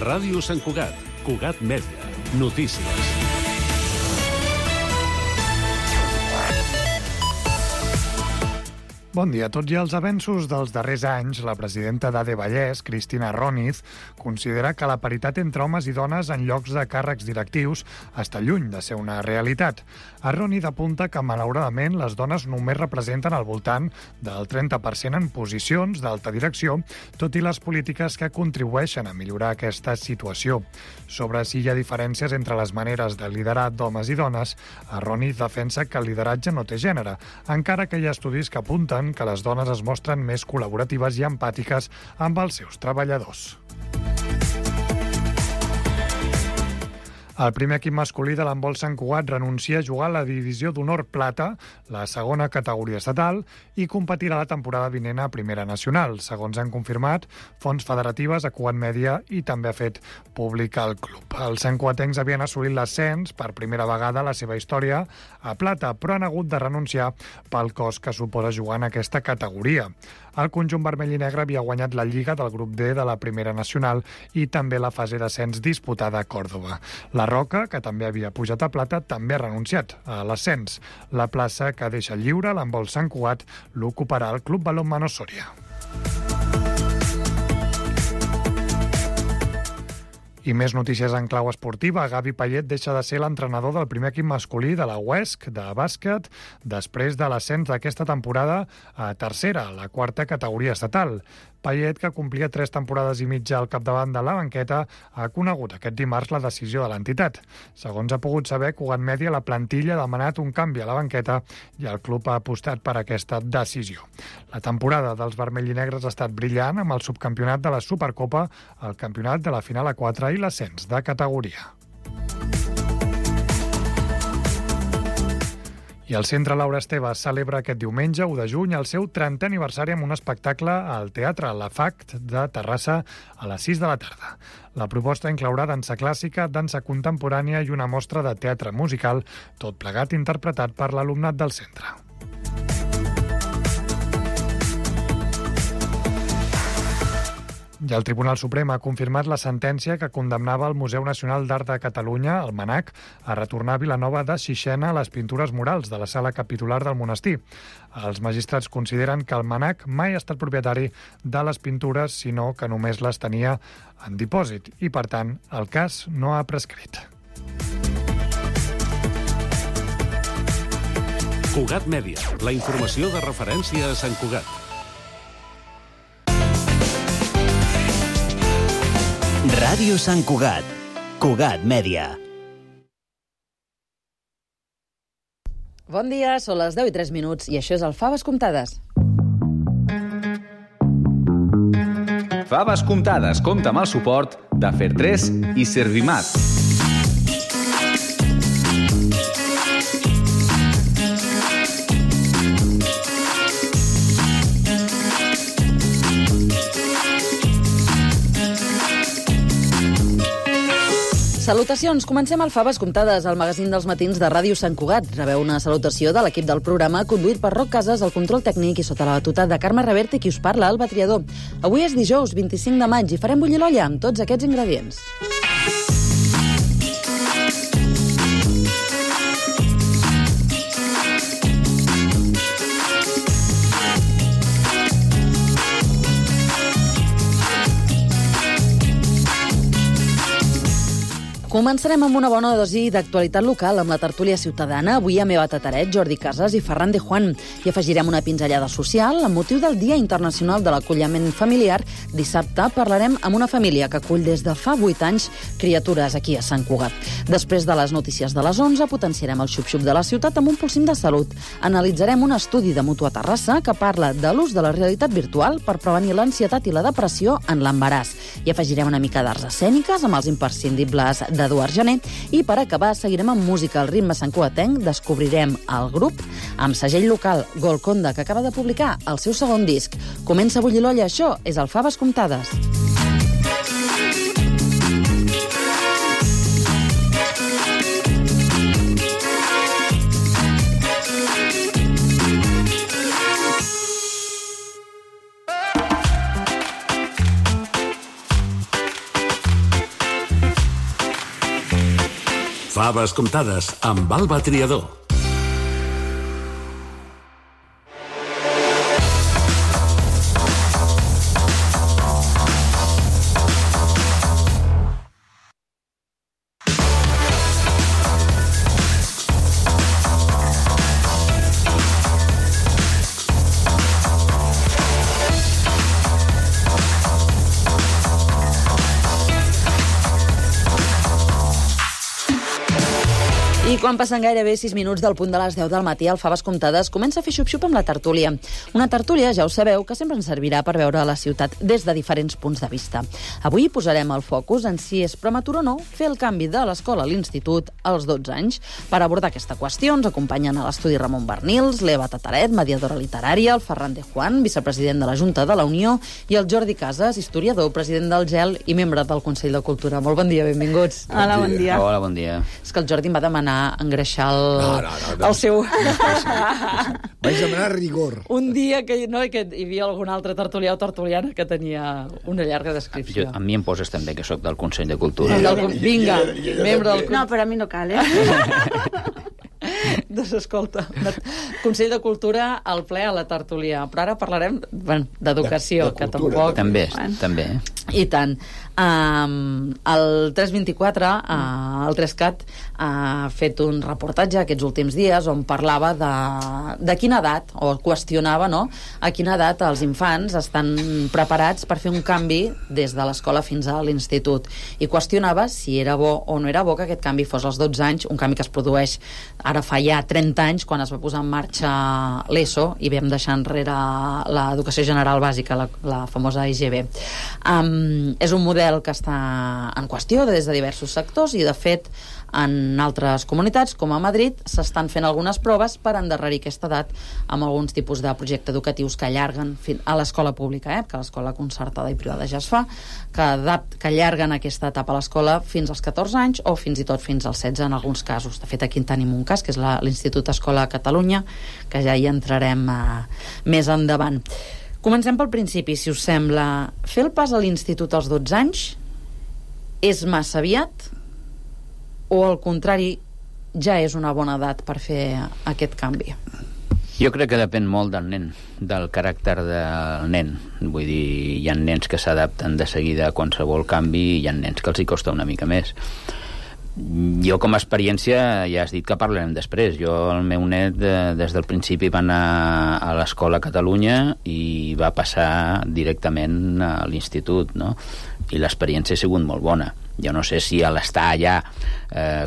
Ràdio Sant Cugat, Cugat Mèdia, notícies. Bon dia. Tot i els avenços dels darrers anys, la presidenta d'AD Vallès, Cristina Roniz, considera que la paritat entre homes i dones en llocs de càrrecs directius està lluny de ser una realitat. Roniz apunta que, malauradament, les dones només representen al voltant del 30% en posicions d'alta direcció, tot i les polítiques que contribueixen a millorar aquesta situació. Sobre si hi ha diferències entre les maneres de liderar d'homes i dones, Roniz defensa que el lideratge no té gènere, encara que hi ha estudis que apunten que les dones es mostren més col·laboratives i empàtiques amb els seus treballadors. El primer equip masculí de l'handbol Sant Cugat renuncia a jugar a la divisió d'honor plata, la segona categoria estatal, i competirà la temporada vinent a Primera Nacional, segons han confirmat fonts federatives a Cugat Mèdia i també ha fet públic el club. Els santcugatencs havien assolit l'ascens per primera vegada a la seva història a plata, però han hagut de renunciar pel cost que suposa jugar en aquesta categoria. El conjunt vermell i negre havia guanyat la Lliga del grup D de la Primera Nacional i també la fase d'ascens disputada a Còrdova. La Roca, que també havia pujat a plata, també ha renunciat a l'ascens. La plaça que deixa lliure l'handbol Sant Cugat l'ocuparà el Club Balonmano Sòria. I més notícies en clau esportiva. Gavi Payet deixa de ser l'entrenador del primer equip masculí de la UESC de bàsquet després de l'ascens d'aquesta temporada a tercera, la quarta categoria estatal. Payet, que complia 3 temporades i mitja al capdavant de la banqueta, ha conegut aquest dimarts la decisió de l'entitat. Segons ha pogut saber, Cugat Mèdia, la plantilla ha demanat un canvi a la banqueta i el club ha apostat per aquesta decisió. La temporada dels vermells i negres ha estat brillant amb el subcampionat de la Supercopa, el campionat de la final a 4 i l'ascens de categoria. I el Centre Laura Esteve celebra aquest diumenge, 1 de juny, el seu 30è aniversari amb un espectacle al Teatre La FACT de Terrassa a les 6 de la tarda. La proposta inclourà dansa clàssica, dansa contemporània i una mostra de teatre musical, tot plegat interpretat per l'alumnat del centre. I el Tribunal Suprem ha confirmat la sentència que condemnava el Museu Nacional d'Art de Catalunya, el MNAC, a retornar a Vilanova de Xixena les pintures murals de la sala capitular del monestir. Els magistrats consideren que el MNAC mai ha estat propietari de les pintures, sinó que només les tenia en dipòsit i, per tant, el cas no ha prescrit. Cugat Mèdia, la informació de referència a Sant Cugat. Ràdio Sant Cugat, Cugat Mèdia. Bon dia, són les 10:03 i això és el Faves Comptades. Faves Comptades compta amb el suport de Fer3 i Servimat. Salutacions, comencem el Faves Comptades, el magazín dels matins de Ràdio Sant Cugat. Rebeu una salutació de l'equip del programa, conduït per Roc Casas, el control tècnic i sota la batuta de Carme Reverte, qui us parla, el Batriador. Avui és dijous, 25 de maig, i farem bullir l'olla amb tots aquests ingredients. Començarem amb una bona dosi d'actualitat local amb la tertúlia ciutadana. Avui amb Eva Tataret, Jordi Casas i Ferran de Juan. I afegirem una pinzellada social amb motiu del Dia Internacional de l'Acolliment Familiar. Dissabte parlarem amb una família que acull des de fa 8 anys criatures aquí a Sant Cugat. Després de les notícies de les 11 potenciarem el xup-xup de la ciutat amb un polsim de salut. Analitzarem un estudi de Mutua Terrassa que parla de l'ús de la realitat virtual per prevenir l'ansietat i la depressió en l'embaràs. I afegirem una mica d'arts escèniques amb els imprescindibles d'Eduard Jané. I per acabar seguirem amb música al ritme santcugatenc. Descobrirem el grup amb segell local Golconda, que acaba de publicar el seu segon disc. Comença a bullir l'olla, això és el Faves Comptades. Faves comptades amb Alba Triador. I quan passen gairebé 6 minuts del punt de les 10 del matí, el Faves Comptades comença a fer xup-xup amb la tertúlia. Una tertúlia, ja ho sabeu, que sempre ens servirà per veure la ciutat des de diferents punts de vista. Avui posarem el focus en si és prematur o no fer el canvi de l'escola a l'institut als 12 anys. Per abordar aquesta qüestió ens acompanyen a l'estudi Ramon Bernils, l'Eva Tataret, mediadora literària, el Ferran de Juan, vicepresident de la Junta de la Unió, i el Jordi Casas, historiador, president del GEL i membre del Consell de Cultura. Molt bon dia, benvinguts. Hola, bon dia. Hola, bon dia. És que el Jordi em va demanar engreixar el seu... Vaig demanar rigor. Un dia que hi havia algun altre tertulià o tertuliana que tenia una llarga descripció. A mi em poses també, que sóc del Consell de Cultura. Vinga, membre del... No, però a mi no cal, Doncs escolta, Consell de Cultura al ple a la tertúlia. Però ara parlarem d'educació, que tampoc... També. I tant. El 324, el 3CAT, ha fet un reportatge aquests últims dies on parlava de quina edat, o qüestionava, no?, a quina edat els infants estan preparats per fer un canvi des de l'escola fins a l'institut. I qüestionava si era bo o no era bo que aquest canvi fos als 12 anys, un canvi que es produeix ara fa ja 30 anys, quan es va posar en marxa l'ESO i vam deixar enrere l'educació general bàsica, la famosa EGB. És un model que està en qüestió des de diversos sectors i, de fet, en altres comunitats, com a Madrid, s'estan fent algunes proves per endarrerir aquesta edat amb alguns tipus de projectes educatius que allarguen a l'escola pública, que a l'escola concertada i privada ja es fa, que allarguen aquesta etapa a l'escola fins als 14 anys o fins i tot fins als 16 en alguns casos. De fet, aquí en tenim un cas, que és l'Institut Escola Catalunya, que ja hi entrarem més endavant. Comencem pel principi, si us sembla. Fer el pas a l'institut als 12 anys és massa aviat o, al contrari, ja és una bona edat per fer aquest canvi? Jo crec que depèn molt del nen, del caràcter del nen. Vull dir, hi ha nens que s'adapten de seguida a qualsevol canvi i hi ha nens que els hi costa una mica més. Jo, com a experiència, ja has dit que parlarem després. El meu net, des del principi, va anar a l'Escola Catalunya i va passar directament a l'institut, no? I l'experiència ha sigut molt bona. Jo no sé si a l'estar allà,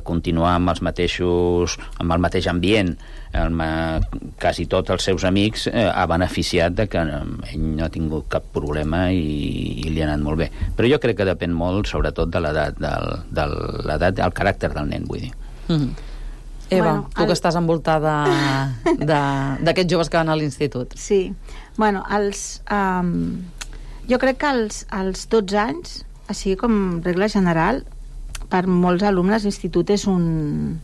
continuar amb el mateix ambient, quasi tots els seus amics, ha beneficiat de que ell no ha tingut cap problema i li ha anat molt bé. Però jo crec que depèn molt, sobretot, de l'edat, del caràcter del nen, vull dir. Eva, tu que estàs envoltada d'aquests joves que van a l'institut. Sí. Jo crec que als 12 anys, així com regla general, per molts alumnes l'institut és un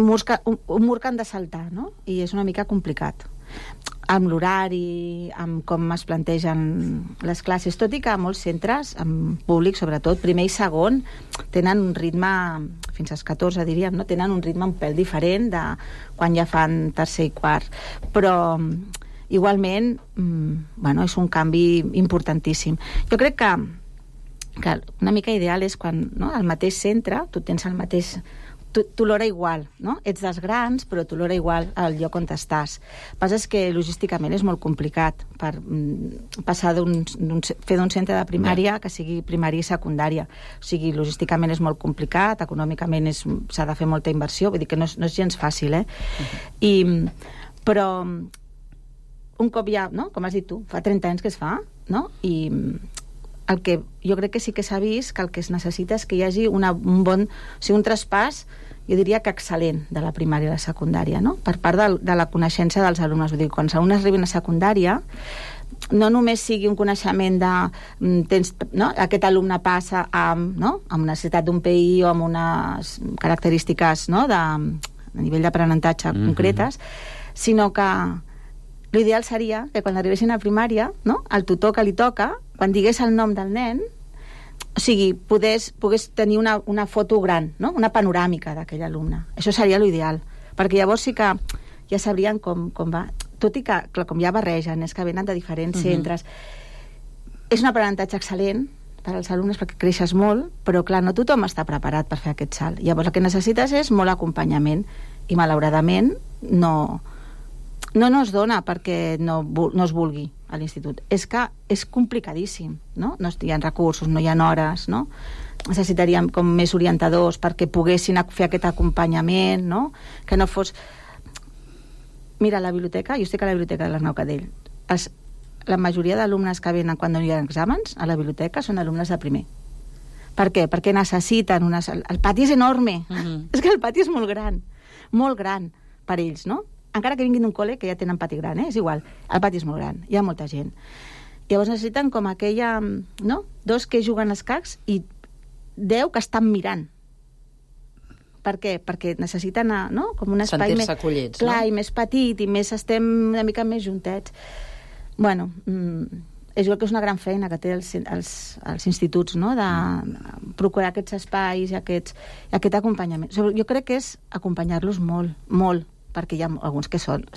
mur que han de saltar, no? I és una mica complicat amb l'horari, amb com es plantegen les classes, tot i que molts centres, en públic sobretot, primer i segon, tenen un ritme, fins als 14 diríem, no? Tenen un ritme un pèl diferent de quan ja fan tercer i quart, però igualment, és un canvi importantíssim. Jo crec que una mica ideal és quan, no, al mateix centre tu tens el mateix... Tu l'hora igual, no? Ets dels grans, però tu l'hora igual al lloc on estàs. El que passa és que logísticament és molt complicat per passar fer d'un centre de primària que sigui primària i secundària. O sigui, logísticament és molt complicat, econòmicament s'ha de fer molta inversió, vull dir que no és gens fàcil, però un cop ja, no? Com has dit tu, fa 30 anys que es fa, no? I el que jo crec que sí que s'ha vist que el que es necessita és que hi hagi un traspàs, jo diria que excel·lent, de la primària a la secundària, no? Per part de la coneixença dels alumnes. Vull dir, quan els alumnes arriben a secundària, no només sigui un coneixement aquest alumne passa amb una necessitat d'un PI o amb unes característiques, no?, a nivell d'aprenentatge concretes, sinó que l'ideal seria que quan arribessin a primària, no?, el tutor que li toca, quan digués el nom del nen, o sigui, pogués tenir una foto gran, no? Una panoràmica d'aquell alumne. Això seria l'ideal, perquè llavors sí que ja sabrien com va. Tot i que, clar, com ja barregen, és que venen de diferents centres. És un aprenentatge excel·lent per als alumnes perquè creixes molt, però clar, no tothom està preparat per fer aquest salt. Llavors el que necessites és molt acompanyament i malauradament no es dona perquè no es vulgui a l'institut. És que és complicadíssim, no? No hi ha recursos, no hi ha hores, no? Necessitaríem com més orientadors perquè poguessin fer aquest acompanyament, no? Que no fos... Mira, a la biblioteca, jo estic a la biblioteca de l'Arnau Cadell, la majoria d'alumnes que venen quan no hi ha exàmens a la biblioteca són alumnes de primer. Per què? Perquè necessiten el pati és enorme. És que el pati és molt gran per ells, no? Encara que vinguin d'un col·le que ja tenen pati gran, és igual, el pati és molt gran, hi ha molta gent. Llavors necessiten com aquella, no? 2 que juguen als cacs i 10 que estan mirant. Per què? Perquè necessiten, no? Com un espai sentir-se acollits, clar, no? I més petit, i més estem una mica més juntets. Bueno, és igual que és una gran feina que té els instituts, no? De procurar aquests espais i aquest acompanyament. Jo crec que és acompanyar-los molt, molt, perquè hi ha alguns que són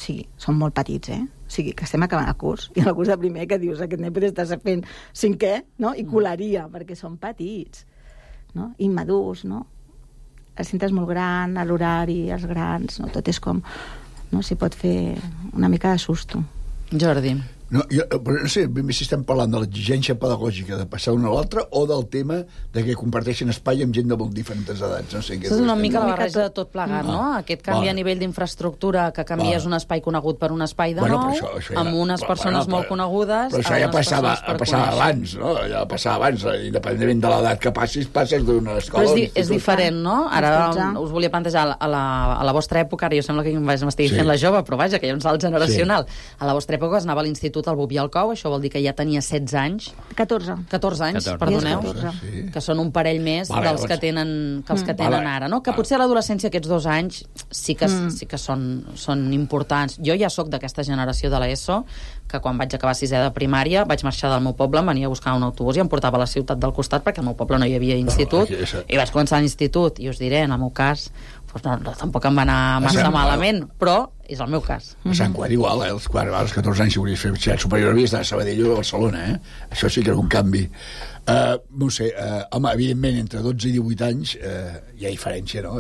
molt petits, O sigui, que estem acabant el curs, i el curs de primer que dius, aquest nen pot estar fent 5è, no? I colaria, perquè són petits, no? Immadurs, no? El centre és molt gran, l'horari, els grans, no? Tot és com... no? S'hi pot fer una mica de susto. Jordi. No, però no sé, ben bé si estem parlant de l'exigència pedagògica de passar una a l'altra o del tema de que comparteixen espai amb gent de molt diferents edats. No sé, és una mica la barreja de tot plegat, no? Aquest canvi a nivell d'infraestructura, que canvies un espai conegut per un espai de nou, amb unes persones molt conegudes... Però això ja passava abans, no? Ja passava abans, independentment de l'edat que passes d'una escola... Però és diferent, no? Ara us volia plantejar a la vostra època, ara jo sembla que m'estigui fent la jove, però vaja, que hi ha un salt generacional. A la vostra època es anava a l'institut al Boví al Cou, això vol dir que ja tenia 16 anys. 14 anys, perdoneu. Que són un parell més dels que tenen ara, no? Que potser a l'adolescència aquests 2 anys sí que són importants. Jo ja sóc d'aquesta generació de l'ESO, que quan vaig acabar 6è de primària vaig marxar del meu poble, em venia a buscar un autobús i em portava a la ciutat del costat perquè al meu poble no hi havia institut, i vaig començar l'institut, i us diré, en el meu cas tampoc em va anar massa malament, però és el meu cas. A Sant Quart igual, als 14 anys si volies fer batxillerat superior havies d'anar a Sabadell o a Barcelona, Això sí que era un canvi. No sé, home, evidentment entre 12 i 18 anys hi ha diferència, no?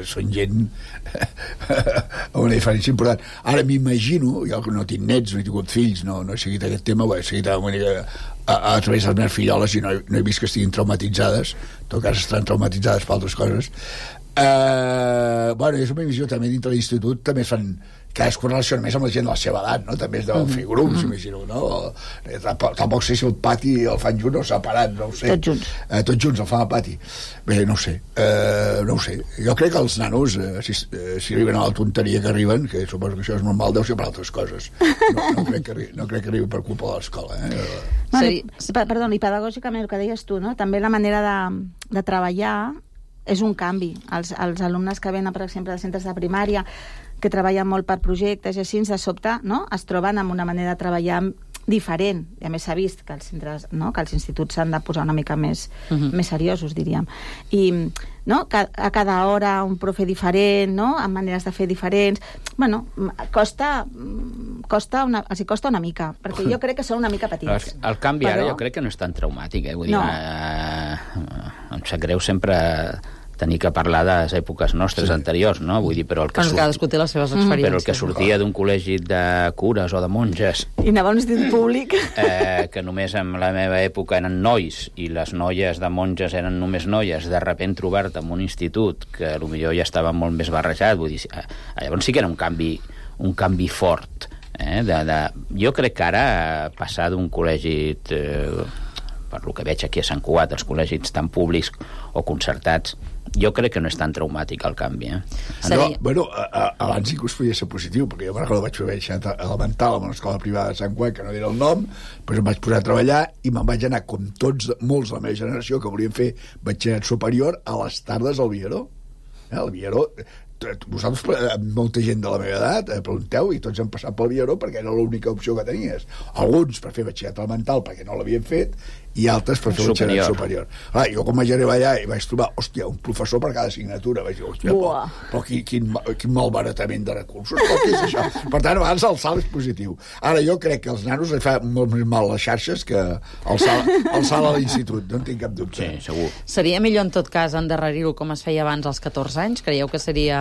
Són gent amb una diferència important. Ara m'imagino, jo no tinc nets, no he tingut fills, no he seguit aquest tema, he seguit a través de les meves filloles i no he vist que estiguin traumatitzades, en tot cas estan traumatitzades per altres coses. Bueno, és una visió també dintre l'institut, també es fan cadascú relaciona més amb la gent de la seva edat, no? També es deuen fer grups, imagino, no? Tampoc sé si el pati el fan junts o separat, no ho sé. Tots junts el fan al pati. Bé, no ho sé. Jo crec que els nanos, si arriben a la tonteria que arriben, que suposo que això és normal, deu ser per altres coses. No crec que arribi per culpa de l'escola, Perdó, i pedagògicament el que deies tu, no? També la manera de treballar és un canvi. Els alumnes que venen, per exemple, de centres de primària, que treballen molt per projectes i així, de sobte, no? Es troben amb una manera de treballar diferent. I a més s'ha vist que els centres, no? Que els instituts s'han de posar una mica més seriosos, diríem. I no? A cada hora un profe diferent, no? Amb maneres de fer diferents. Bueno, costa una mica, perquè jo crec que són una mica petits. El canvi ara jo crec que no és tan traumàtic, Vull dir, em sap greu sempre tenir que parlar de les èpoques nostres anteriors, no? Vull dir, però el que cadascú té les seves experiències. Però el que sortia d'un col·legi de cures o de monges... I anava a un institut públic. Que només en la meva època eren nois i les noies de monges eren només noies, de repent trobar-te en un institut que potser ja estava molt més barrejat, vull dir, llavors sí que era un canvi fort. Jo crec que ara passar d'un col·legi... per lo que veig aquí a Sant Cugat, els col·legis tan públics o concertats, jo crec que no és tan traumàtic el canvi. Bueno, abans sí que us podia ser positiu, perquè jo me'n recordo vaig fer baixat elemental en una escola privada de Sant Cugat, que no era el nom, doncs em vaig posar a treballar i me'n vaig anar, com molts de la meva generació, que volien fer batxillerat superior, a les tardes al Viaró. El Viaró vosaltres, molta gent de la meva edat, pregunteu, i tots han passat pel Vieró perquè era l'única opció que tenies. Alguns per fer batxillerat elemental perquè no l'havien fet, i altres per fer batxillerat superior. Jo quan vaig arribar allà i vaig trobar, hòstia, un professor per cada assignatura. Vaig dir, hòstia, però quin malbaratament de recursos, però què és això? Per tant, a vegades el salt és positiu. Ara, jo crec que als nanos li fa molt més mal les xarxes que el salt a l'institut, no en tinc cap dubte. Sí, segur. Seria millor, en tot cas, endarrerir-ho com es feia abans als 14 anys? Creieu que seria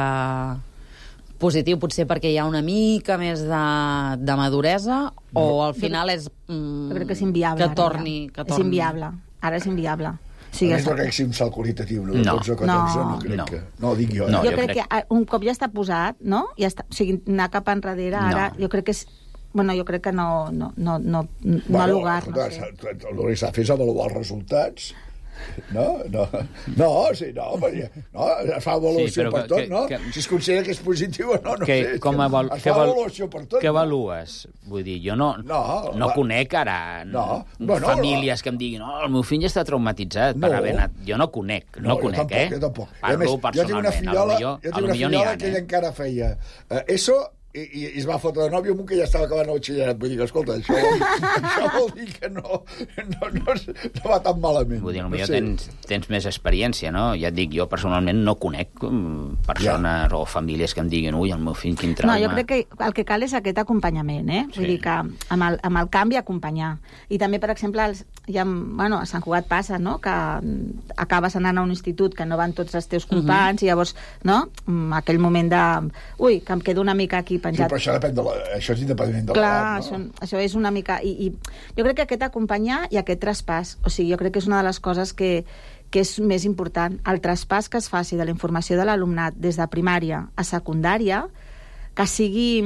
positiu, potser perquè hi ha una mica més de maduresa, o al final és jo crec que és inviable, que torni. És inviable. Ara és inviable. Sí, no crec que sigui un salt qualitatiu, no? De 12 o 14, no crec que... No, dic jo. Jo crec que un cop ja està posat, no? Ja està, o sigui, anar cap enrere, ara, jo crec que és... Bueno, jo crec que no ha lugar, no sé. El que s'ha de fer és avaluar els resultats. No, es fa avaluació per tot, no? Si es considera que és positiu o no, no sé. Es fa avaluació per tot. Què avalues? Vull dir, jo no conec ara famílies que em diguin el meu fill està traumatitzat per haver anat. Jo no conec, Jo tampoc. Parlo personalment. Jo tinc una fillola que ella encara feia ESO i es va fotre de nòvio amb un que ja estava acabant el batxillerat. Vull dir que, escolta, això vol dir que no va tan malament. Vull dir, potser tens més experiència, no? Ja et dic, jo personalment no conec persones o famílies que em diguin el meu fill, quin trauma. No, jo crec que el que cal és aquest acompanyament, Vull dir que amb el canvi acompanyar. I també, per exemple, a Sant Cugat passa, no?, que acabes anant a un institut que no van tots els teus companys, i llavors, no?, aquell moment de... que em quedo una mica aquí penjat. Sí, però això és independentment de l'edat, no? Clar, això és una mica... I jo crec que aquest acompanyar i aquest traspàs, o sigui, jo crec que és una de les coses que és més important. El traspàs que es faci de la informació de l'alumnat des de primària a secundària, que sigui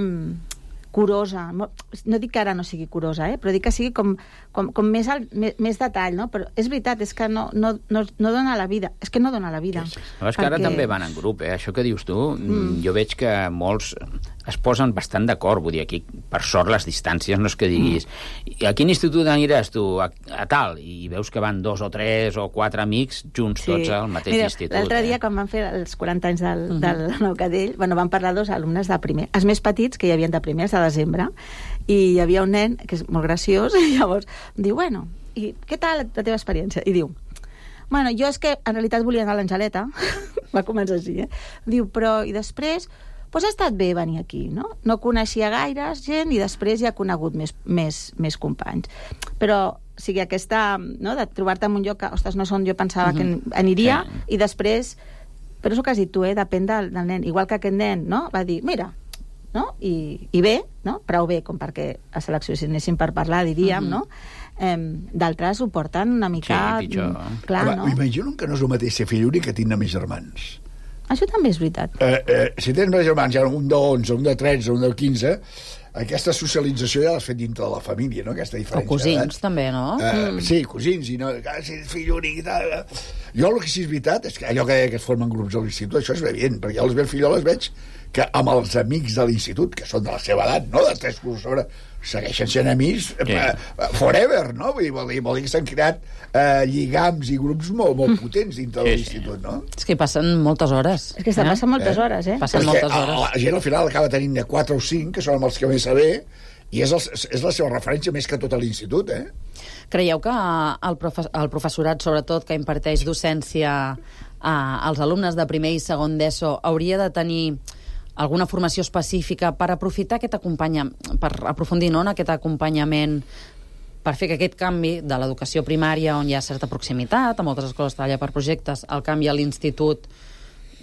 curosa. No dic que ara no sigui curosa, però dic que sigui com més detall, no? Però és veritat, és que no dona la vida. És que no dona la vida. És que ara també van en grup, Això que dius tu, jo veig que molts es posen bastant d'acord, vull dir, aquí, per sort, les distàncies no és que diguis a quin institut aniràs tu? A tal, i veus que van 2 o 3 o 4 amics junts tots al mateix institut. L'altre dia, quan van fer els 40 anys del Nou Cadell, van parlar 2 alumnes de primer, els més petits, que hi havia de primer, els de desembre, i hi havia un nen, que és molt graciós, i llavors diu, i què tal la teva experiència? I diu, jo és que en realitat volia anar a l'Angeleta, va començar així, diu, però, i després... ha estat bé venir aquí, no? No coneixia gaires gent i després ja ha conegut més companys. Però, o sigui, aquesta, no?, de trobar-te en un lloc que, ostres, no és on jo pensava que aniria, i després, però és el que has dit tu, depèn del nen. Igual que aquest nen, no?, va dir, mira, no?, i bé, no?, prou bé, com perquè a selecció, si anéssim per parlar, diríem, no?, d'altres ho porten una mica... Sí, pitjor. Clar, no? M'imagino que no és el mateix ser fill únic que tindre més germans. Això també és veritat. Si tens més germans, un de 11, un de 13, un de 15, aquesta socialització ja l'has fet dintre de la família, no?, aquesta diferència. O cosins, també, no? Sí, cosins, i no... Si ets fill únic i tal... Jo el que sí és veritat és que allò que es formen grups a l'institut, això és evident, perquè jo les meves filloles veig que amb els amics de l'institut, que són de la seva edat, no?, de 3 cursos sobre, segueixen sent amics forever, no? Vol dir que s'han creat lligams i grups molt potents dintre de l'institut, no? És que hi passen moltes hores. És que passen moltes hores, Passen moltes hores. La gent al final acaba tenint de 4 o 5, que són amb els que més saber, i és la seva referència més que tot a l'institut, Creieu que el professorat, sobretot, que imparteix docència als alumnes de primer i segon d'ESO, hauria de tenir alguna formació específica per aprofitar aquest acompanyament, per aprofundir en aquest acompanyament, per fer que aquest canvi de l'educació primària, on hi ha certa proximitat, a moltes escoles treballa per projectes, el canvi a l'institut,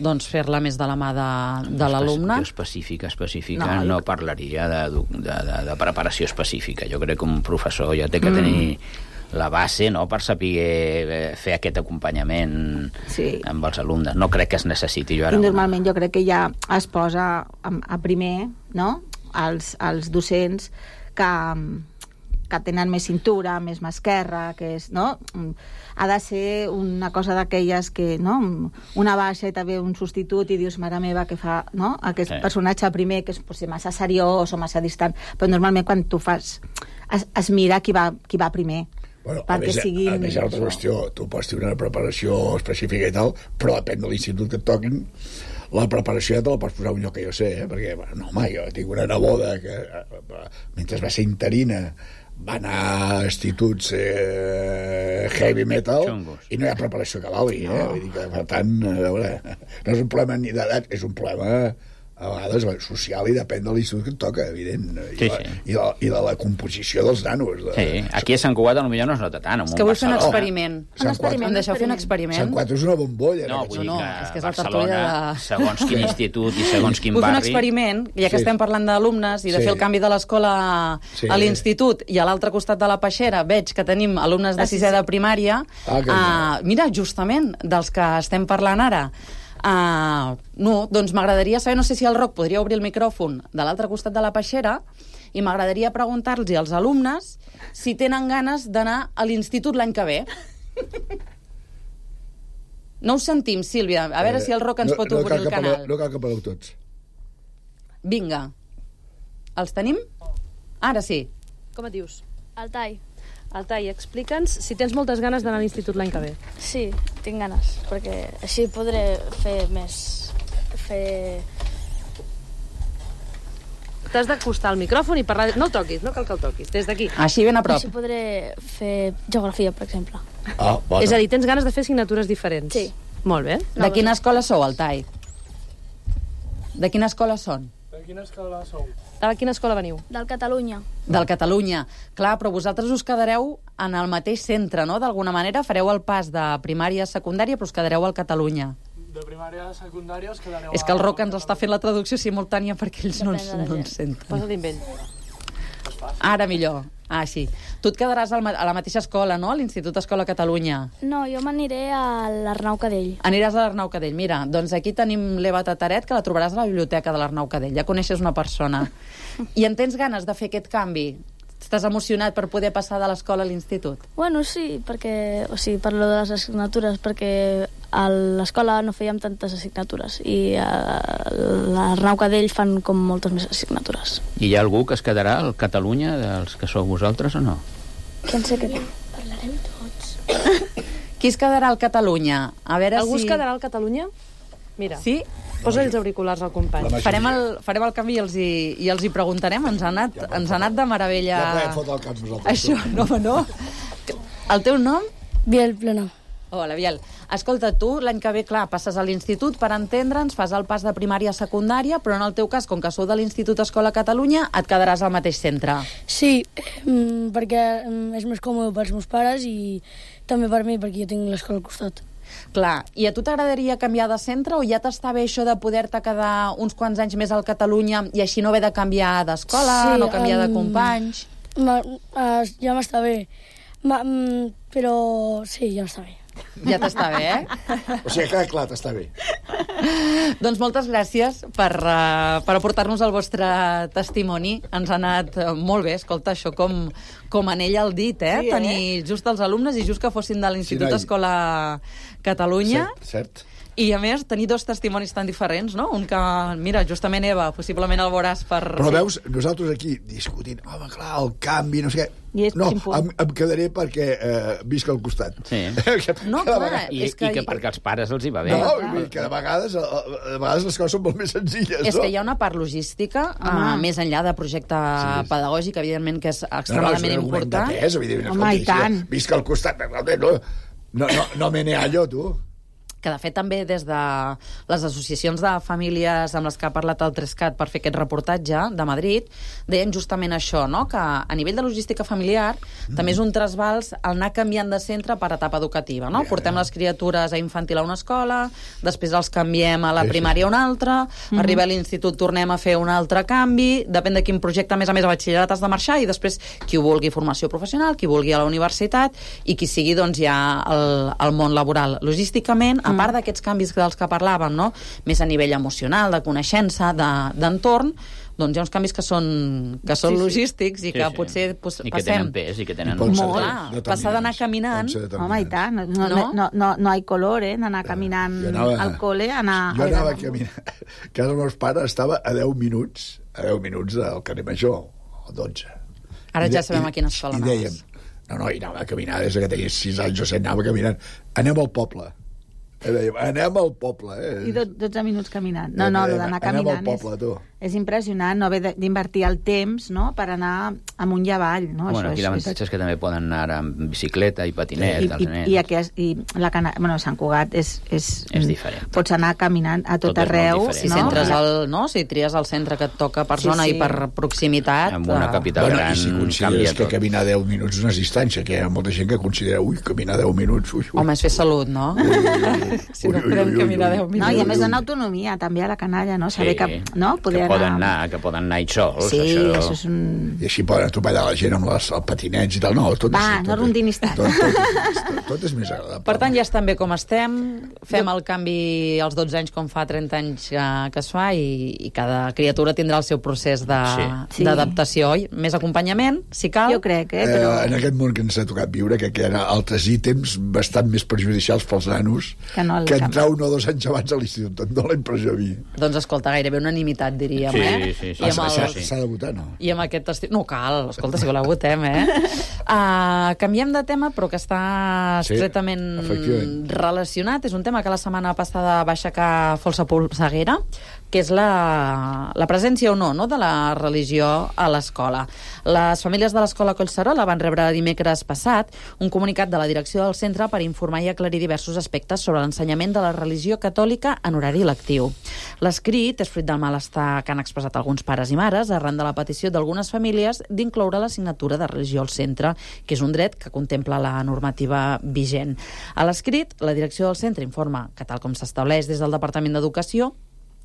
doncs fer-la més de la mà de l'alumne? Específica, no parlaria de preparació específica. Jo crec que un professor ja té que tenir la base, no?, per saber fer aquest acompanyament amb els alumnes. No crec que es necessiti. I normalment jo crec que ja es posa a primer, no?, els docents que tenen més cintura, més mà esquerra, que és, no?, ha de ser una cosa d'aquelles que, no?, una baixa i també un substitut i dius, mare meva, que fa, no?, aquest personatge primer que és potser massa seriós o massa distant, però normalment quan tu fas es mira qui va primer. Bueno, a més, hi ha una altra qüestió. Tu pots tenir una preparació específica i tal, però depèn de l'institut que et toquin. la preparació ja te la pots posar un lloc que jo sé, perquè, no, home, jo tinc una neboda que, mentre va ser interina, va anar a instituts heavy metal Xungos. i no hi ha preparació que valgui, Vull dir que, per tant, a veure, no és un problema ni d'edat, és un problema a vegades social i depèn de l'institut que et toca, evident, i de la composició dels nanos. Sí, aquí a Sant Cugat potser no es nota tant. És que vull fer un experiment. Em deixeu fer un Sant experiment? Cugat és una bombolla. No, vull dir No, que és que és la Barcelona, tertúlia de... segons quin institut i segons quin Vull fer un barri... experiment, ja que estem parlant d'alumnes i de fer el canvi de l'escola a l'institut, i a l'altre costat de la peixera veig que tenim alumnes de sisè de primària. Mira, justament, dels que estem parlant ara. No, doncs m'agradaria saber, no sé si el Roc podria obrir el micròfon de l'altre costat de la peixera, i m'agradaria preguntar-los als alumnes si tenen ganes d'anar a l'institut l'any que ve. No us sentim, Sílvia. A veure si el Roc ens pot obrir el canal. No cal que parleu tots. Vinga. Els tenim? Ara sí. Com et dius? Altai. Altai, explica'ns si tens moltes ganes d'anar a l'institut l'any que ve. Sí, tinc ganes, perquè així podré fer més... T'has d'acostar al micròfon i parlar... No el toquis, no cal que el toquis, des d'aquí. Així ben a prop. Així podré fer geografia, per exemple. Bueno. És a dir, tens ganes de fer assignatures diferents. Sí. Molt bé. De quina escola sou, Altai? De quina escola són? De quina escola veniu? Del Catalunya. Del Catalunya. Clar, però vosaltres us quedareu en el mateix centre, no? D'alguna manera fareu el pas de primària a secundària, però us quedareu al Catalunya. De primària a secundària us quedareu... És que el Roc ens està fent la traducció simultània perquè ells no ens senten. Posa-li amb ell. Ara millor. Ah, sí. Tu et quedaràs a la mateixa escola, no? A l'Institut Escola Catalunya. No, jo m'aniré a l'Arnau Cadell. Aniràs a l'Arnau Cadell. Mira, doncs aquí tenim l'Eva Tataret, que la trobaràs a la biblioteca de l'Arnau Cadell. Ja coneixes una persona. I en tens ganes de fer aquest canvi? Estàs emocionat per poder passar de l'escola a l'institut? Bueno, sí, perquè... O sigui, parlo de les assignatures, perquè a l'escola no fèiem tantes assignatures i a l'Arnau Cadell fan com moltes més assignatures. I hi ha algú que es quedarà al Catalunya dels que sou vosaltres o no? Qui en sé que parlarem tots. Qui es quedarà al Catalunya? A veure Algú si... es quedarà al Catalunya? Mira. Sí? Posa els auriculars al company. Farem el canvi i els hi preguntarem. Ens ha anat de meravella... Ja podem fotre el cap nosaltres. Això, no. El teu nom? Biel Plena. Hola, Biel. Escolta, tu l'any que ve, clar, passes a l'institut, per entendre'ns, fas el pas de primària a secundària, però en el teu cas, com que sou de l'Institut Escola Catalunya, et quedaràs al mateix centre. Sí, perquè és més còmode pels meus pares i també per mi, perquè jo tinc l'escola al costat. Clar, i a tu t'agradaria canviar de centre o ja t'està bé això de poder-te quedar uns quants anys més al Catalunya i així no haver de canviar d'escola, sí, no canviar de companys? Ja m'està bé, però sí, ja m'està bé. Ja t'està bé, O sigui, que clar, t'està bé. Doncs moltes gràcies per aportar-nos el vostre testimoni. Ens ha anat molt bé, escolta, això com en ella el dit, Sí, tenir just els alumnes i just que fossin de l'Institut Escola Catalunya. Cert. I, a més, tenir dos testimonis tan diferents, no? Un que, mira, justament, Eva, possiblement el veuràs per... Però veus, nosaltres aquí discutint, home, clar, el canvi, no sé què... No, em quedaré perquè visc al costat. Sí. No, clar, és que perquè als pares els hi va bé. No, que de vegades les coses són molt més senzilles, no? És que hi ha una part logística, més enllà de projecte pedagògic, evidentment, que és extremadament important. Home, i tant. Visc al costat, no me neallo, tu. Que, de fet, també des de les associacions de famílies amb les que ha parlat el Trescat per fer aquest reportatge de Madrid, deien justament això, no? Que a nivell de logística familiar també és un trasbals el anar canviant de centre per etapa educativa, no? Portem les criatures a infantil a una escola, després els canviem a la primària a una altra, arriba a l'institut, tornem a fer un altre canvi, depèn de quin projecte, a més a batxillerat has de marxar, i després qui ho vulgui formació professional, qui vulgui a la universitat, i qui sigui, doncs, ja al món laboral. Logísticament, a part d'aquests canvis dels que parlàvem, no? Més a nivell emocional, de coneixença, d'entorn, doncs hi ha uns canvis que són logístics i que potser passem... I que tenen pes, i que tenen... Molt. Passar d'anar caminant... Home, i tant. No hi ha color, d'anar caminant al col·le, Jo anava caminant. Casa dels meus pares estava a 10 minuts del carrer Major, o 12. Ara ja sabem a quina escola anaves. I dèiem, i anava a caminar des que tenia 6 anys o 7, anava caminant. Anem al poble. Dèiem, anem al poble, I 12 minuts caminant. No, el d'anar caminant anem al poble, tu. És impressionant no haver d'invertir el temps, no?, per anar amunt i avall, no? Bueno, aquí l'avantatge és que també poden anar amb bicicleta i patinet, els nens. I Sant Cugat és diferent. Pots anar caminant a tot arreu, no? Si tries el centre que et toca per zona i per proximitat... En una capital gran i si consideres que caminar 10 minuts és una distància, que hi ha molta gent que considera, caminar 10 minuts... Home, és fer salut, no? Si no podem caminar 10 minuts. No, i a més dona autonomia, també, a la canalla, no? Saber que, no? Que poden anar ells sols. Sí, això és un... I així poden atropellar la gent amb els patinets i tal. No, no rondinis tant. Tot és més agradable. Per tant, ja estem bé com estem. Fem el canvi als 12 anys com fa 30 anys que es fa i cada criatura tindrà el seu procés d'adaptació. Més acompanyament, si cal. Jo crec, però... En aquest món que ens ha tocat viure, que hi ha altres ítems bastant més perjudicials pels nanos que entrar 1 o 2 anys abans a l'institut. Em dóna la impressió a mi. Doncs escolta, gairebé unanimitat, diríem, Sí. S'ha de votar, no? I amb aquest estiu... No cal, escolta, si voleu votem, canviem de tema, però que està estretament relacionat. És un tema que la setmana passada va aixecar Folsa Polseguera, que és la presència o no de la religió a l'escola. Les famílies de l'escola Collserola van rebre dimecres passat un comunicat de la direcció del centre per informar i aclarir diversos aspectes sobre l'ensenyament de la religió catòlica en horari lectiu. L'escrit és fruit del malestar que han expressat alguns pares i mares arran de la petició d'algunes famílies d'incloure l'assignatura de religió al centre, que és un dret que contempla la normativa vigent. A l'escrit, la direcció del centre informa que, tal com s'estableix des del Departament d'Educació,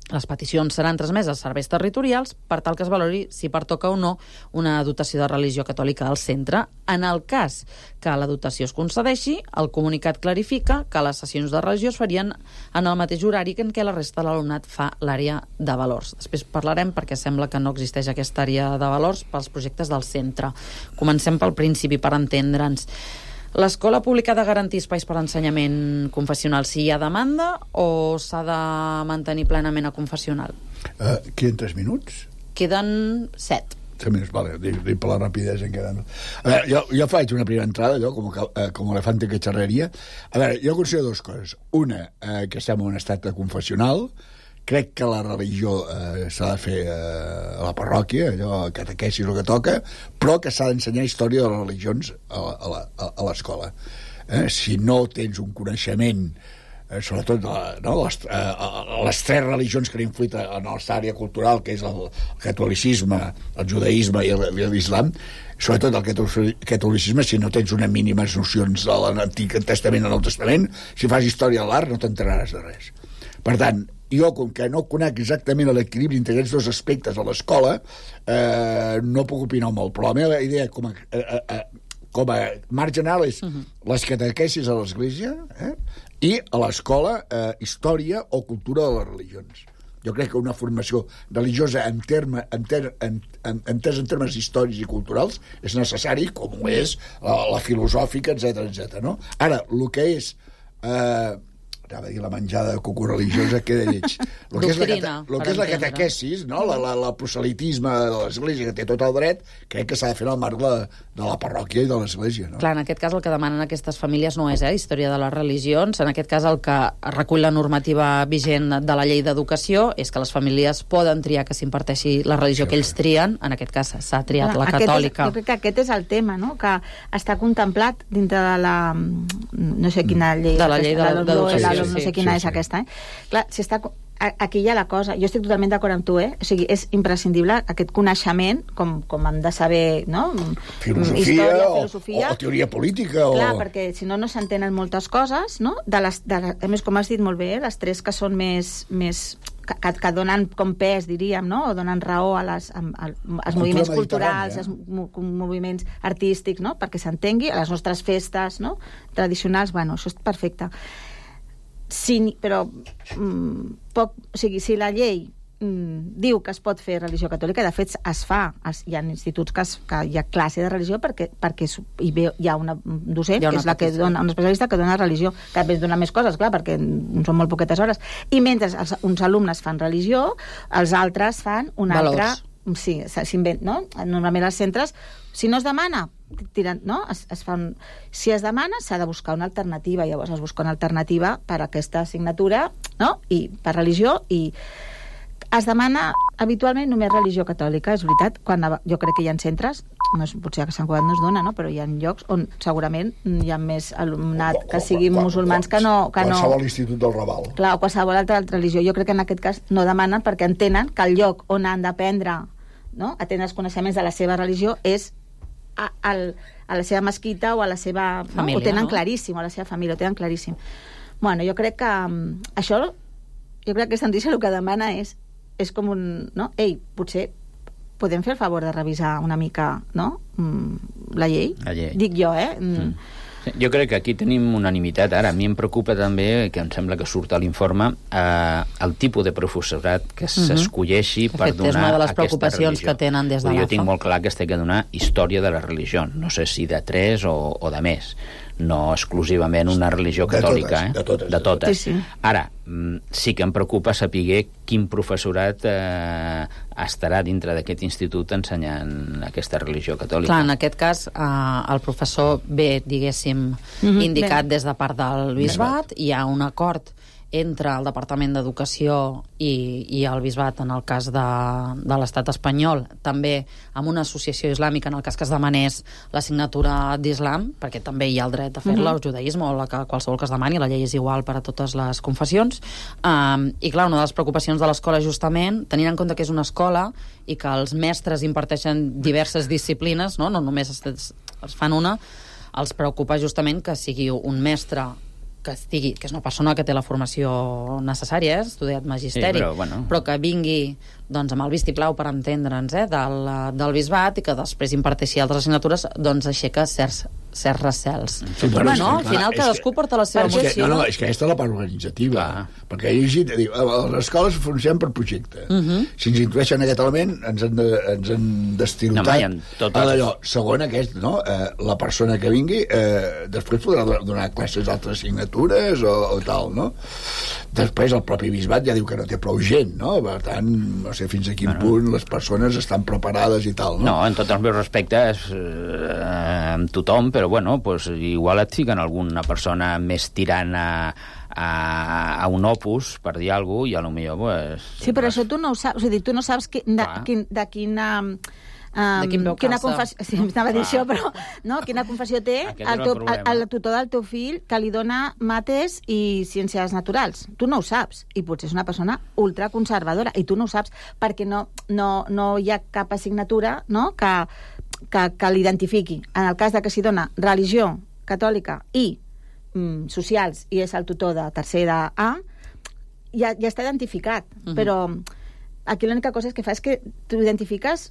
les peticions seran transmeses als serveis territorials per tal que es valori si pertoca o no una dotació de religió catòlica al centre. En el cas que la dotació es concedeixi, el comunicat clarifica que les sessions de religió es farien en el mateix horari en què la resta de l'alumnat fa l'àrea de valors. Després parlarem perquè sembla que no existeix aquesta àrea de valors pels projectes del centre. Comencem pel principi per entendre'ns. L'escola pública ha de garantir espais per a ensenyament confessional si hi ha demanda o s'ha de mantenir plenament a confessional? Queden 3 minuts? Queden 7. 3 minuts, vale, dic per la rapidesa en queden. A veure, jo faig una primera entrada, allò, com elefante que xerraria. A veure, jo considero 2 coses. Una, que estem en un estat confessional. Crec que la religió s'ha de fer a la parròquia, allò, catequesi és el que toca, però que s'ha d'ensenyar història de les religions a l'escola. Si no tens un coneixement, sobretot les 3 religions que han influït en la nostra àrea cultural, que és el catolicisme, el judaïsme i l'islam, sobretot el catolicisme, si no tens unes mínimes nocions de l'Antic Testament i el Nou Testament, si fas història de l'art no t'enteraràs de res. Per tant, jo, com que no conec exactament l'equilibri entre aquests 2 aspectes a l'escola, no puc opinar molt, però la meva idea com a marc general és les catequesis a l'església i a l'escola història o cultura de les religions. Jo crec que una formació religiosa entès en termes històrics i culturals és necessari, com ho és la filosòfica, etc. No? Ara, el que és... anava a dir la menjada de coco religiosa, queda lleig. El que és la catequesis, no? El proselitisme de l'església, que té tot el dret, crec que s'ha de fer en el marc de la parròquia i de l'església. No? Clar, en aquest cas el que demanen aquestes famílies no és història de les religions, en aquest cas el que recull la normativa vigent de la llei d'educació és que les famílies poden triar que s'imparteixi la religió que ells trien, en aquest cas s'ha triat la catòlica. Jo crec que aquest és el tema, no? Que està contemplat dintre de la... no sé quina llei... De la llei d'educació. No sé quina és aquesta, Clar, si està... Aquí hi ha la cosa, jo estic totalment d'acord amb tu, O sigui, és imprescindible aquest coneixement, com hem de saber, no? Filosofia o teoria política. Clar, perquè si no s'entenen moltes coses, no? A més, com has dit molt bé, les 3 que són més que donen com pes, diríem, no? O donen raó als moviments culturals, als moviments artístics, no? Perquè s'entengui, a les nostres festes, no? Tradicionals, bueno, això és perfecte. Però si la llei diu que es pot fer religió catòlica, de fet es fa, hi ha instituts que hi ha classe de religió perquè hi ha una docent, que és la que dona, un especialista que dona religió, que a més dona més coses, clar, perquè són molt poquetes hores, i mentre uns alumnes fan religió, els altres fan una altra... Sí, no? Normalment als centres, si no es demana, tiren, no? Es fa si es demana, s'ha de buscar una alternativa. Llavors es busca una alternativa per a aquesta assignatura, no? I per religió, i es demana habitualment només religió catòlica, és veritat. Jo crec que hi ha centres, potser a Sant Cugat no es dona, no? Però hi ha llocs on segurament hi ha més alumnat que siguin musulmans que no... Qualsevol institut del Raval. Clar, o qualsevol altra religió. Jo crec que en aquest cas no demanen perquè entenen que el lloc on han d'aprendre, no? A tenir els coneixements de la seva religió és a la seva mesquita o a la seva... família, ho tenen no? claríssim, o a la seva família, ho tenen claríssim. Bueno, jo crec que això, jo crec que aquesta notícia el que demana és com un... no? Ei, potser podem fer el favor de revisar una mica, no? La llei? La llei. Dic jo, Jo crec que aquí tenim unanimitat. Ara, a mi em preocupa també, que em sembla que surt a l'informe, el tipus de professorat que s'escolleixi per donar aquesta religió. És una de les preocupacions que tenen des de l'AFA. Jo tinc molt clar que es té que donar història de la religió. No sé si de 3 o de més. No exclusivament una religió catòlica. De totes. Sí. Ara, sí que em preocupa saber quin professorat estarà dintre d'aquest institut ensenyant aquesta religió catòlica. Clar, en aquest cas, el professor ve, diguéssim, indicat des de part del bisbat, hi ha un acord entre el Departament d'Educació i el bisbat en el cas de l'estat espanyol, també amb una associació islàmica en el cas que es demanés l'assignatura d'islam, perquè també hi ha el dret a fer-la, el judaïsme o qualsevol que es demani, la llei és igual per a totes les confessions. I clar, una de les preocupacions de l'escola justament, tenint en compte que és una escola i que els mestres imparteixen diverses disciplines, no només es fan una, els preocupa justament que sigui un mestre que és una persona que té la formació necessària, ha estudiat magisteri, però que vingui doncs, amb el vistiplau, per entendre'ns, del bisbat, i que després imparteixi altres assignatures, doncs aixeca certs recels. Sí, al final cadascú porta la seva emoció. No, és que aquesta és la part organitzativa, perquè he llegit, les escoles funcionen per projecte. Si ens intueixen aquest element, ens han destirotat d'allò. Segon, la persona que vingui després podrà donar classes d'altres assignatures o tal, no? Després el propi bisbat ja diu que no té prou gent, no? Per tant, no sé fins a quin punt les persones estan preparades i tal, no? No, en tots els meus respectes amb tothom, però igual et fiquen alguna persona més tirant a un opus, per dir alguna cosa, i a lo millor... Sí, però això tu no ho saps, és a dir, tu no saps de quina... quina confessió, sí, anava a dir això, però quina confessió té el tutor del teu fill que li dona mates i ciències naturals. Tu no ho saps, i potser és una persona ultraconservadora, i tu no ho saps perquè no hi ha cap assignatura que l'identifiqui. En el cas de que s'hi dona religió catòlica i socials, i és el tutor de tercer A, ja està identificat, però aquí l'única cosa que fa és que tu identifiques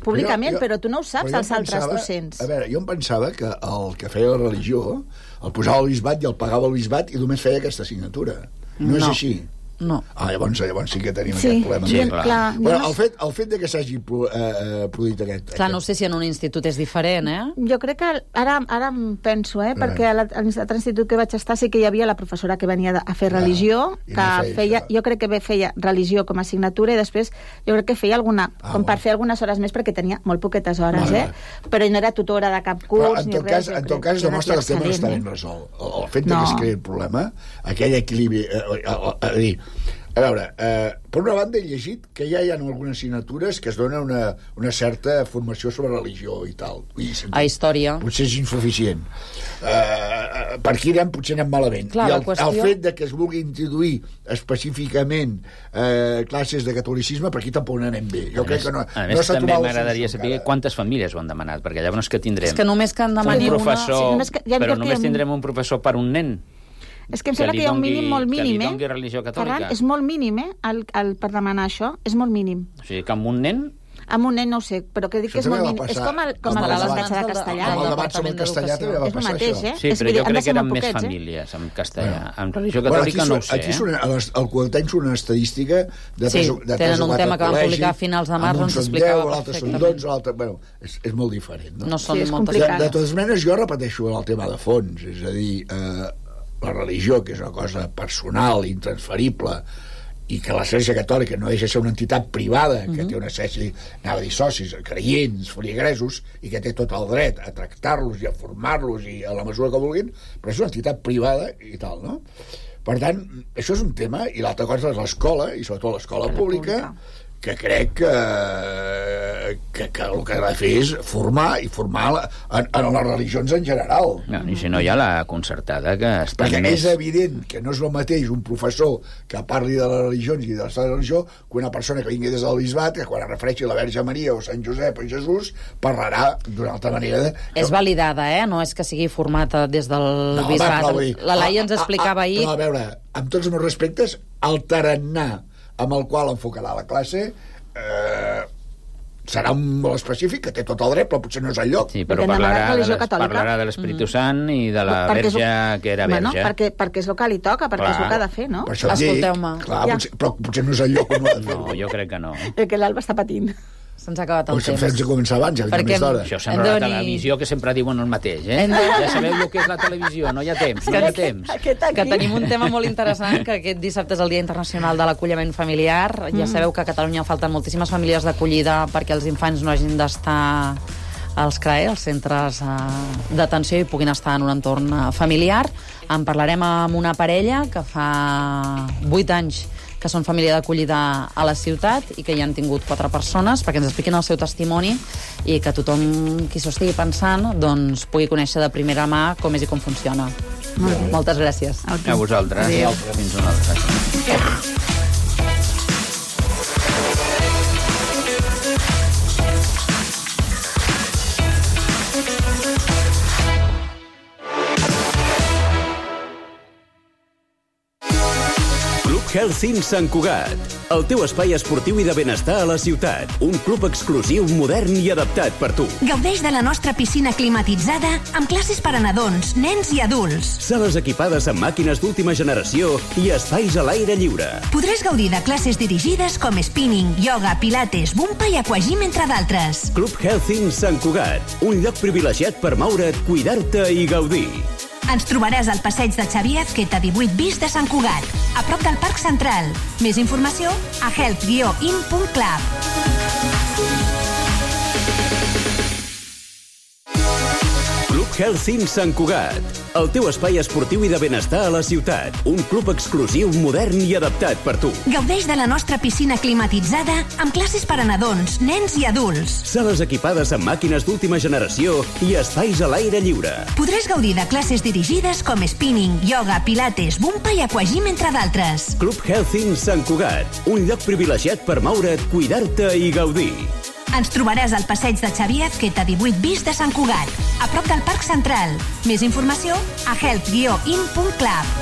públicament, però tu no ho saps els altres docents. A veure, jo em pensava que el que feia la religió el posava al bisbat i el pagava al bisbat i només feia aquesta assignatura. No és així. No. Llavors sí que tenim aquest problema. Sí, clar. El fet de que s'hagi produït aquest... Clar, no sé si en un institut és diferent, Jo crec que ara em penso, perquè a l'altre institut que vaig estar sí que hi havia la professora que venia a fer religió, que feia, jo crec que feia religió com a assignatura, i després jo crec que feia com per fer algunes hores més, perquè tenia molt poquetes hores, però no era tutora de cap curs ni res. En tot cas demostra que el tema no està ben resolt. El fet que es creï el problema, aquell equilibri... A veure, per una banda he llegit que ja hi ha algunes assignatures que es dona una certa formació sobre religió i tal. A història. Potser és insuficient. Per aquí potser anem malament. Clar, I el fet de que es vulgui introduir específicament classes de catolicisme, per aquí tampoc anem bé. Jo crec que no a més, també m'agradaria saber quantes famílies ho han demanat, perquè llavors que tindrem? És que només que en demani un professor, però només tindrem un professor per un nen. És que em sembla que hi ha un mínim molt mínim, que li dongui religió catòlica. Ferran, és molt mínim, per demanar això, és molt mínim. O sigui, que amb un nen... Amb un nen no ho sé, però que dic que és molt mínim. És com l'aprenentatge de castellà. Amb el debat sobre el castellà també va passar això. Sí, però jo crec que eren més famílies amb castellà. Amb religió catòlica no ho sé. Aquí al Quadrant surt una estadística de 3 o 4 tenen un tema que van publicar a finals de març on s'explicava l'altre són 12, l'altre... Bueno, és molt diferent. No són moltes cases. De totes maneres, jo repeteixo el tema de fons, és a dir... la religió, que és una cosa personal, intransferible, i que l'Església Catòlica no deixa de ser una entitat privada que té una sèrie, anava a dir socis, creients, feligresos, i que té tot el dret a tractar-los i a formar-los i a la mesura que vulguin, però és una entitat privada i tal, no? Per tant, això és un tema, i l'altra cosa és l'escola, i sobretot l'escola pública, que crec que el que ha de fer és formar en les religions en general. No, i si no hi ha la concertada que està perquè més... és evident que no és el mateix un professor que parli de les religions i de la religió que una persona que vingui des del bisbat, que quan es refereixi a la Verge Maria o Sant Josep o Jesús parlarà d'una altra manera És validada, no és que sigui formata des del bisbat. La Laia ens explicava ahir... No, a veure, amb tots els meus respectes, el tarannà amb el qual enfocarà la classe serà molt específic, que té tot el dret, però potser no és el lloc. Sí, però parlarà de l'Espíritu Sant i de la Verge que era verge. Perquè és el que li toca, perquè és el que ha de fer, no? Per això escolteu-me. Però potser no és el lloc on ho ha de fer. No, jo crec que no. Que l'Alba està patint. Se'ns ha acabat el temps. Hem de començar abans, ja més d'hora. Això sembla la televisió, que sempre diuen el mateix, Ja sabeu el que és la televisió, no hi ha temps, no hi ha temps. Que tenim un tema molt interessant, que aquest dissabte és el Dia Internacional de l'Acolliment Familiar. Ja sabeu que a Catalunya falten moltíssimes famílies d'acollida perquè els infants no hagin d'estar als CRAE, els centres d'atenció, i puguin estar en un entorn familiar. En parlarem amb una parella que fa 8 anys que són família d'acollida a la ciutat i que hi han tingut 4 persones, perquè ens expliquin el seu testimoni i que tothom qui s'ho estigui pensant doncs, pugui conèixer de primera mà com és i com funciona. Moltes gràcies. A vosaltres. Adéu. Fins una altra. Health Sant Cugat, el teu espai esportiu i de benestar a la ciutat. Un club exclusiu, modern i adaptat per tu. Gaudeix de la nostra piscina climatitzada amb classes per a nadons, nens i adults. Sales equipades amb màquines d'última generació i espais a l'aire lliure. Podràs gaudir de classes dirigides com spinning, yoga, pilates, bumpa i aquagym, entre d'altres. Club Health Sant Cugat, un lloc privilegiat per moure't, cuidar-te i gaudir. Ens trobaràs al passeig de Xavier Azqueta 18 bis de Sant Cugat, a prop del Parc Central. Més informació a health-in.club. Club Health Sant Cugat, el teu espai esportiu i de benestar a la ciutat. Un club exclusiu, modern i adaptat per tu. Gaudeix de la nostra piscina climatitzada amb classes per a nadons, nens i adults. Sales equipades amb màquines d'última generació i espais a l'aire lliure. Podràs gaudir de classes dirigides com spinning, yoga, pilates, bumpa i aquagym, entre d'altres. Club Health Sant Cugat, un lloc privilegiat per moure't, cuidar-te i gaudir. Ens trobaràs al passeig de Xavier Azqueta 18 bis de Sant Cugat, a prop del Parc Central. Més informació a health-in.club.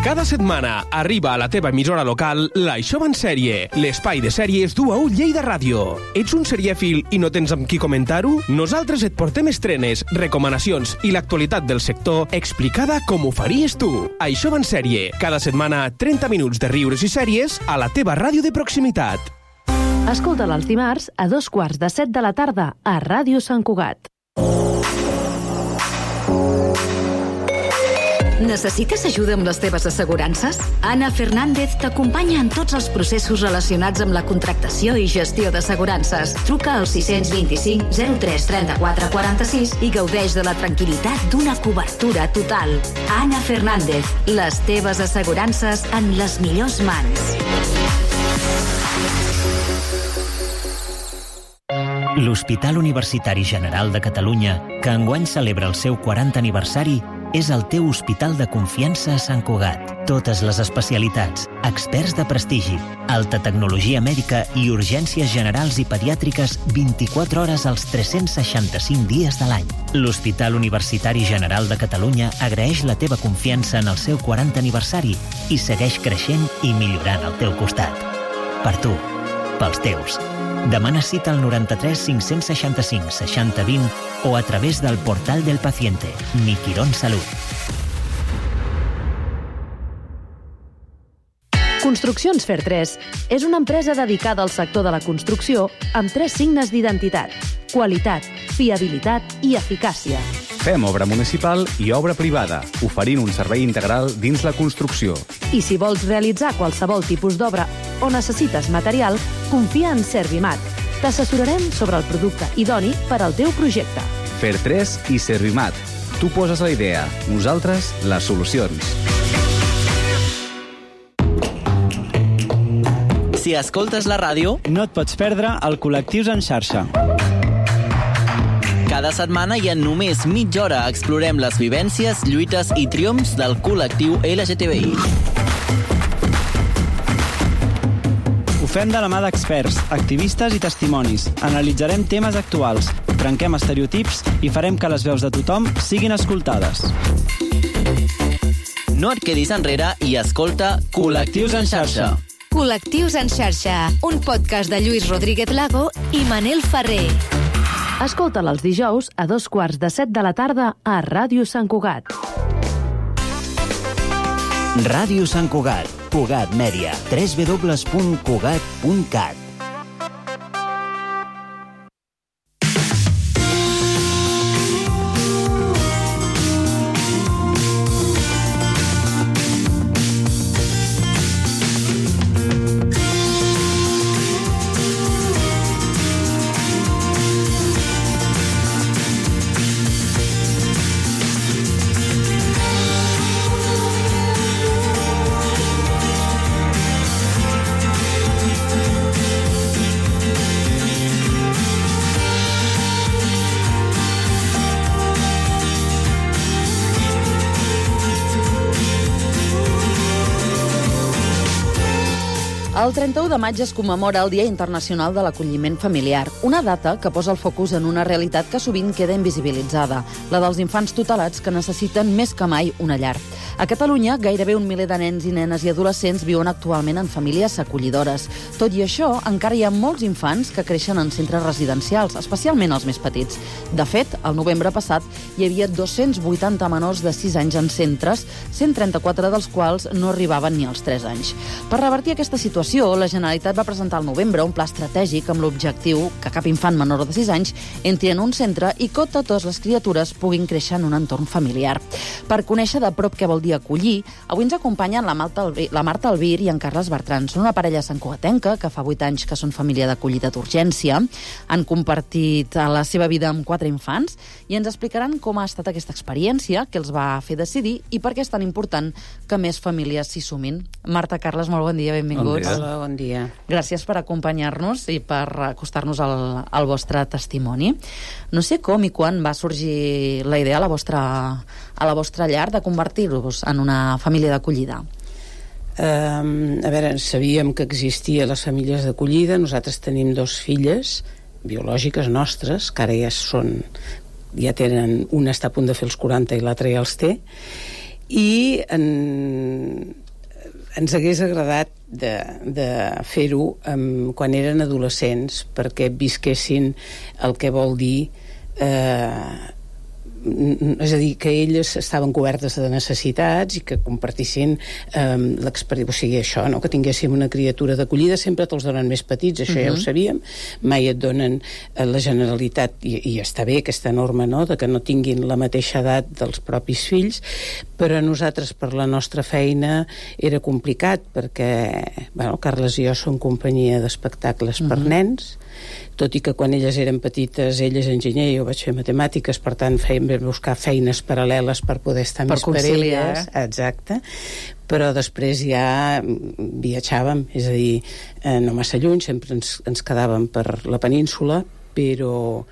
Cada setmana arriba a la teva emissora local l'Això va en sèrie, l'espai de sèries d'U a U Lleida Ràdio. Ets un serièfil i no tens amb qui comentar-ho? Nosaltres et portem estrenes, recomanacions i l'actualitat del sector explicada com ho faries tu. Això va en sèrie, cada setmana 30 minuts de riures i sèries a la teva ràdio de proximitat. Escolta'l els dimarts a 2:15 de la tarda a Ràdio Sant Cugat. Necessites ajuda amb les teves assegurances? Anna Fernández t'acompanya en tots els processos relacionats amb la contractació i gestió d'assegurances. Truca al 625 03 34 46 i gaudeix de la tranquil·litat d'una cobertura total. Anna Fernández, les teves assegurances en les millors mans. L'Hospital Universitari General de Catalunya, que enguany celebra el seu 40 aniversari, és el teu hospital de confiança a Sant Cugat. Totes les especialitats, experts de prestigi, alta tecnologia mèdica i urgències generals i pediàtriques 24 hores als 365 dies de l'any. L'Hospital Universitari General de Catalunya agraeix la teva confiança en el seu 40 aniversari i segueix creixent i millorant al teu costat. Per tu, pels teus. Demana cita al 93 565 60 20 o a través del portal del paciente. Mi Quirón Salud. Construccions Fer3 és una empresa dedicada al sector de la construcció amb 3 signes d'identitat: qualitat, fiabilitat i eficàcia. Fem obra municipal i obra privada, oferint un servei integral dins la construcció. I si vols realitzar qualsevol tipus d'obra o necessites material, confia en Servimat. T'assessorarem sobre el producte idoni per al teu projecte. Fer3 i Servimat. Tu poses la idea, nosaltres les solucions. Si escoltes la ràdio, no et pots perdre el Col·lectius en xarxa. Cada setmana i en només mitja hora explorem les vivències, lluites i triomfs del col·lectiu LGTBI. Ho fem de la mà d'experts, activistes i testimonis. Analitzarem temes actuals, trenquem estereotips i farem que les veus de tothom siguin escoltades. No et quedis enrere i escolta Col·lectius en xarxa. Col·lectius en xarxa, un podcast de Lluís Rodríguez Lago i Manel Ferrer. Escolta'l els dijous a 14:45 de la tarda a Ràdio Sant Cugat. Ràdio Sant Cugat, Cugat Mèdia, www.cugat.cat. El 31 de maig es commemora el Dia Internacional de l'Acolliment Familiar, una data que posa el focus en una realitat que sovint queda invisibilitzada, la dels infants tutelats que necessiten més que mai una llar. A Catalunya, gairebé 1 miler de nens i nenes i adolescents viuen actualment en famílies acollidores. Tot i això, encara hi ha molts infants que creixen en centres residencials, especialment els més petits. De fet, el novembre passat hi havia 280 menors de 6 anys en centres, 134 dels quals no arribaven ni als 3 anys. Per revertir aquesta situació, la Generalitat va presentar al novembre un pla estratègic amb l'objectiu que cap infant menor de 6 anys entri en un centre i que totes les criatures puguin créixer en un entorn familiar. Per conèixer de prop què vol dir acollir, avui ens acompanyen la Marta Albir i en Carles Bertran. Són una parella santcugatenca que fa 8 anys que són família d'acollida d'urgència. Han compartit la seva vida amb 4 infants i ens explicaran com ha estat aquesta experiència, què els va fer decidir i per què és tan important que més famílies s'hi sumin. Marta, Carles, molt bon dia, benvinguts. Hola, bon dia. Gràcies per acompanyar-nos i per acostar-nos al vostre testimoni. No sé com i quan va sorgir la idea a la vostra llar de convertir-vos en una família d'acollida. A veure, sabíem que existia les famílies d'acollida. Nosaltres tenim 2 filles biològiques nostres, que ara ja tenen, una està a punt de fer els 40 i l'altra ja els té, i ens hagués agradat de fer-ho quan eren adolescents, perquè visquessin el que vol dir és a dir, que elles estaven cobertes de necessitats i que compartissin l'experiència, o sigui, això, no? Que tinguéssim una criatura d'acollida. Sempre te'ls donen més petits, això ja ho sabíem, mai et donen la Generalitat, i està bé aquesta norma, no?, de que no tinguin la mateixa edat dels propis fills, però nosaltres, per la nostra feina, era complicat, perquè, bueno, Carles i jo som companyia d'espectacles per nens, tot i que quan elles eren petites, ell és enginyer i jo vaig fer matemàtiques, per tant vam buscar feines paral·leles per poder estar més per elles. Exacte. Però després ja viatjàvem, és a dir, no massa lluny, sempre ens quedàvem per la península, però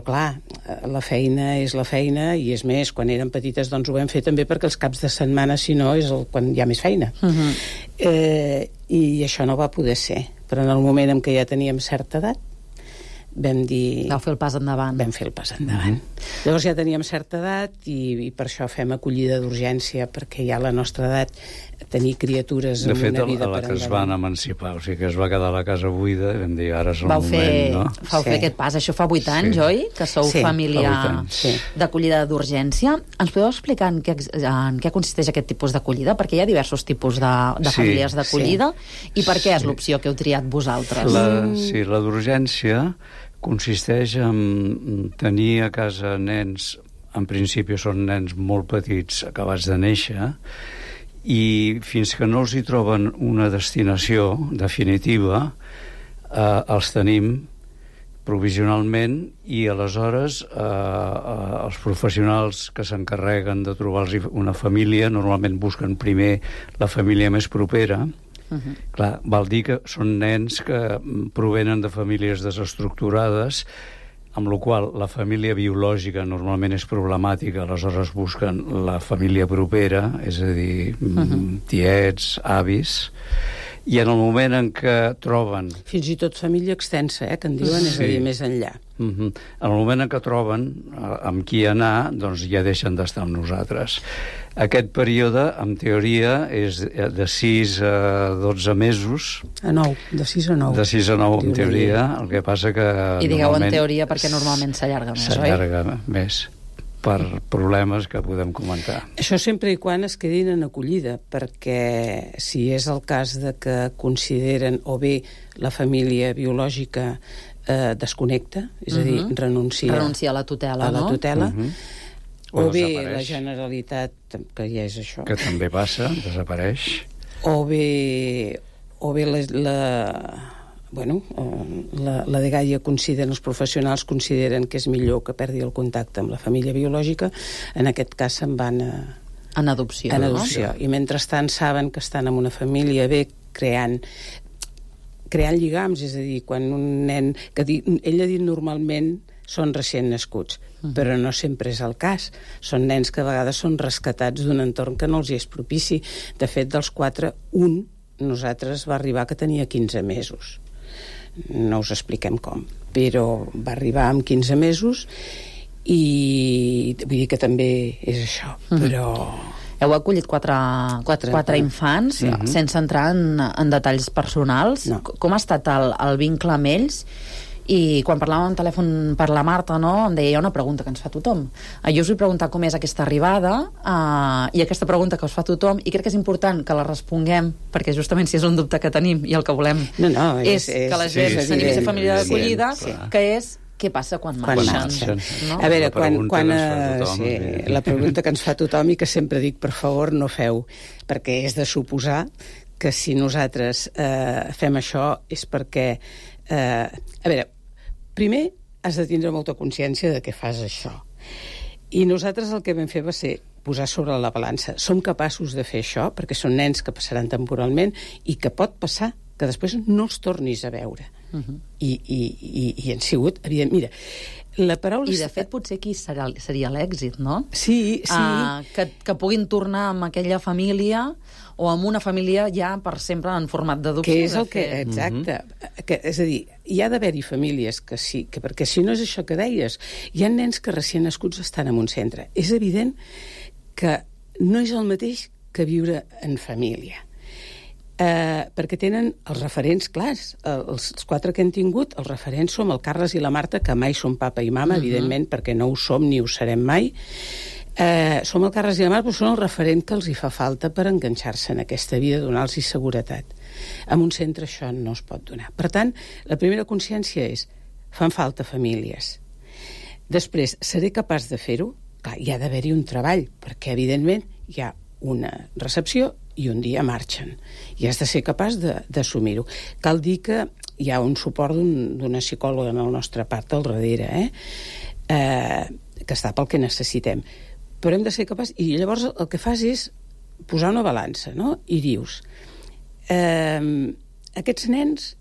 clar, la feina és la feina, i és més, quan eren petites doncs ho vam fer també perquè els caps de setmana, si no, és quan hi ha més feina. I això no va poder ser. Però en el moment en què ja teníem certa edat, vam dir... Vau fer el pas endavant. Vam fer el pas endavant. Llavors ja teníem certa edat i per això fem acollida d'urgència, perquè ja a la nostra edat tenir criatures amb una vida per endavant. De fet, a la que es van emancipar, o sigui que es va quedar la casa buida, i vam dir, ara és el moment, no? Vau fer aquest pas. Això fa 8 anys, oi? Que sou família d'acollida d'urgència. Ens podeu explicar en què consisteix aquest tipus d'acollida? Perquè hi ha diversos tipus de famílies d'acollida. I per què és l'opció que heu triat vosaltres? Sí, la d'urgència consisteix en tenir a casa nens, en principi són nens molt petits, acabats de néixer, i fins que no els hi troben una destinació definitiva, els tenim provisionalment, i aleshores els professionals que s'encarreguen de trobar-los una família normalment busquen primer la família més propera. Clar, vol dir que són nens que provenen de famílies desestructurades, amb la qual la família biològica normalment és problemàtica, aleshores busquen la família propera, és a dir, tiets, avis, i en el moment en què troben... Fins i tot família extensa, que en diuen, és a dir, més enllà. En el moment en què troben amb qui anar, doncs ja deixen d'estar amb nosaltres. Aquest període, en teoria, és de 6 a 12 mesos. A 9, de 6 a 9. De 6 a 9, en teoria. El que passa que... I digueu en teoria perquè normalment s'allarga més, oi? S'allarga més, per problemes que podem comentar. Això sempre i quan es quedin en acollida, perquè si és el cas de que consideren o bé la família biològica desconnecta, és a dir, renuncia a la tutela, a la tutela, o bé la Generalitat, que ja és això, que també passa, desapareix, o bé la dgaia considera, els professionals consideren que és millor que perdi el contacte amb la família biològica, en aquest cas se'n van en adopció. I mentrestant saben que estan en una família bé creant lligams, és a dir, quan un nen... Ell ha dit normalment són recient nascuts, però no sempre és el cas. Són nens que a vegades són rescatats d'un entorn que no els és propici. De fet, dels 4, un nosaltres va arribar que tenia 15 mesos. No us expliquem com, però va arribar amb 15 mesos i vull dir que també és això, però... Heu acollit 4 infants, sense entrar en detalls personals. Com ha estat el vincle amb ells? I quan parlàvem al telèfon per la Marta, no, em deia, hi ha una pregunta que ens fa tothom. Jo us vull preguntar com és aquesta arribada, i aquesta pregunta que us fa tothom, i crec que és important que la responguem, perquè justament si és un dubte que tenim i el que volem és que la gent s'animi a ser família d'acollida, que és què passa quan marxen. No? A veure, la pregunta que ens fa tothom i que sempre dic, per favor, no feu, perquè és de suposar que si nosaltres fem això és perquè... a veure, primer has de tindre molta consciència de què fas això. I nosaltres el que vam fer va ser posar sobre la balança. Som capaços de fer això, perquè són nens que passaran temporalment i que pot passar que després no els tornis a veure. I han sigut, evident, mira, la paraula... I de fet potser aquí seria l'èxit, no? Sí. Que puguin tornar amb aquella família o amb una família ja per sempre en format d'adopció. Que és el que... Exacte. És a dir, hi ha d'haver-hi famílies que sí, perquè si no és això que deies, hi ha nens que recient nascuts estan en un centre. És evident que no és el mateix que viure en família. Perquè tenen els referents clars. Els 4 que hem tingut, els referents som el Carles i la Marta, que mai són papa i mama, evidentment, perquè no ho som ni ho serem mai. Som el Carles i la Marta, però són el referent que els hi fa falta per enganxar-se en aquesta vida, donar-los seguretat. En un centre això no es pot donar. Per tant, la primera consciència és fan falta famílies. Després, seré capaç de fer-ho? Clar, hi ha d'haver-hi un treball, perquè evidentment hi ha una recepció i un dia marxen. I has de ser capaç d'assumir-ho. Cal dir que hi ha un suport d'una psicòloga en el nostre part al darrere, que està pel que necessitem. Però hem de ser capaç... I llavors el que fas és posar una balança, no? I dius, aquests nens,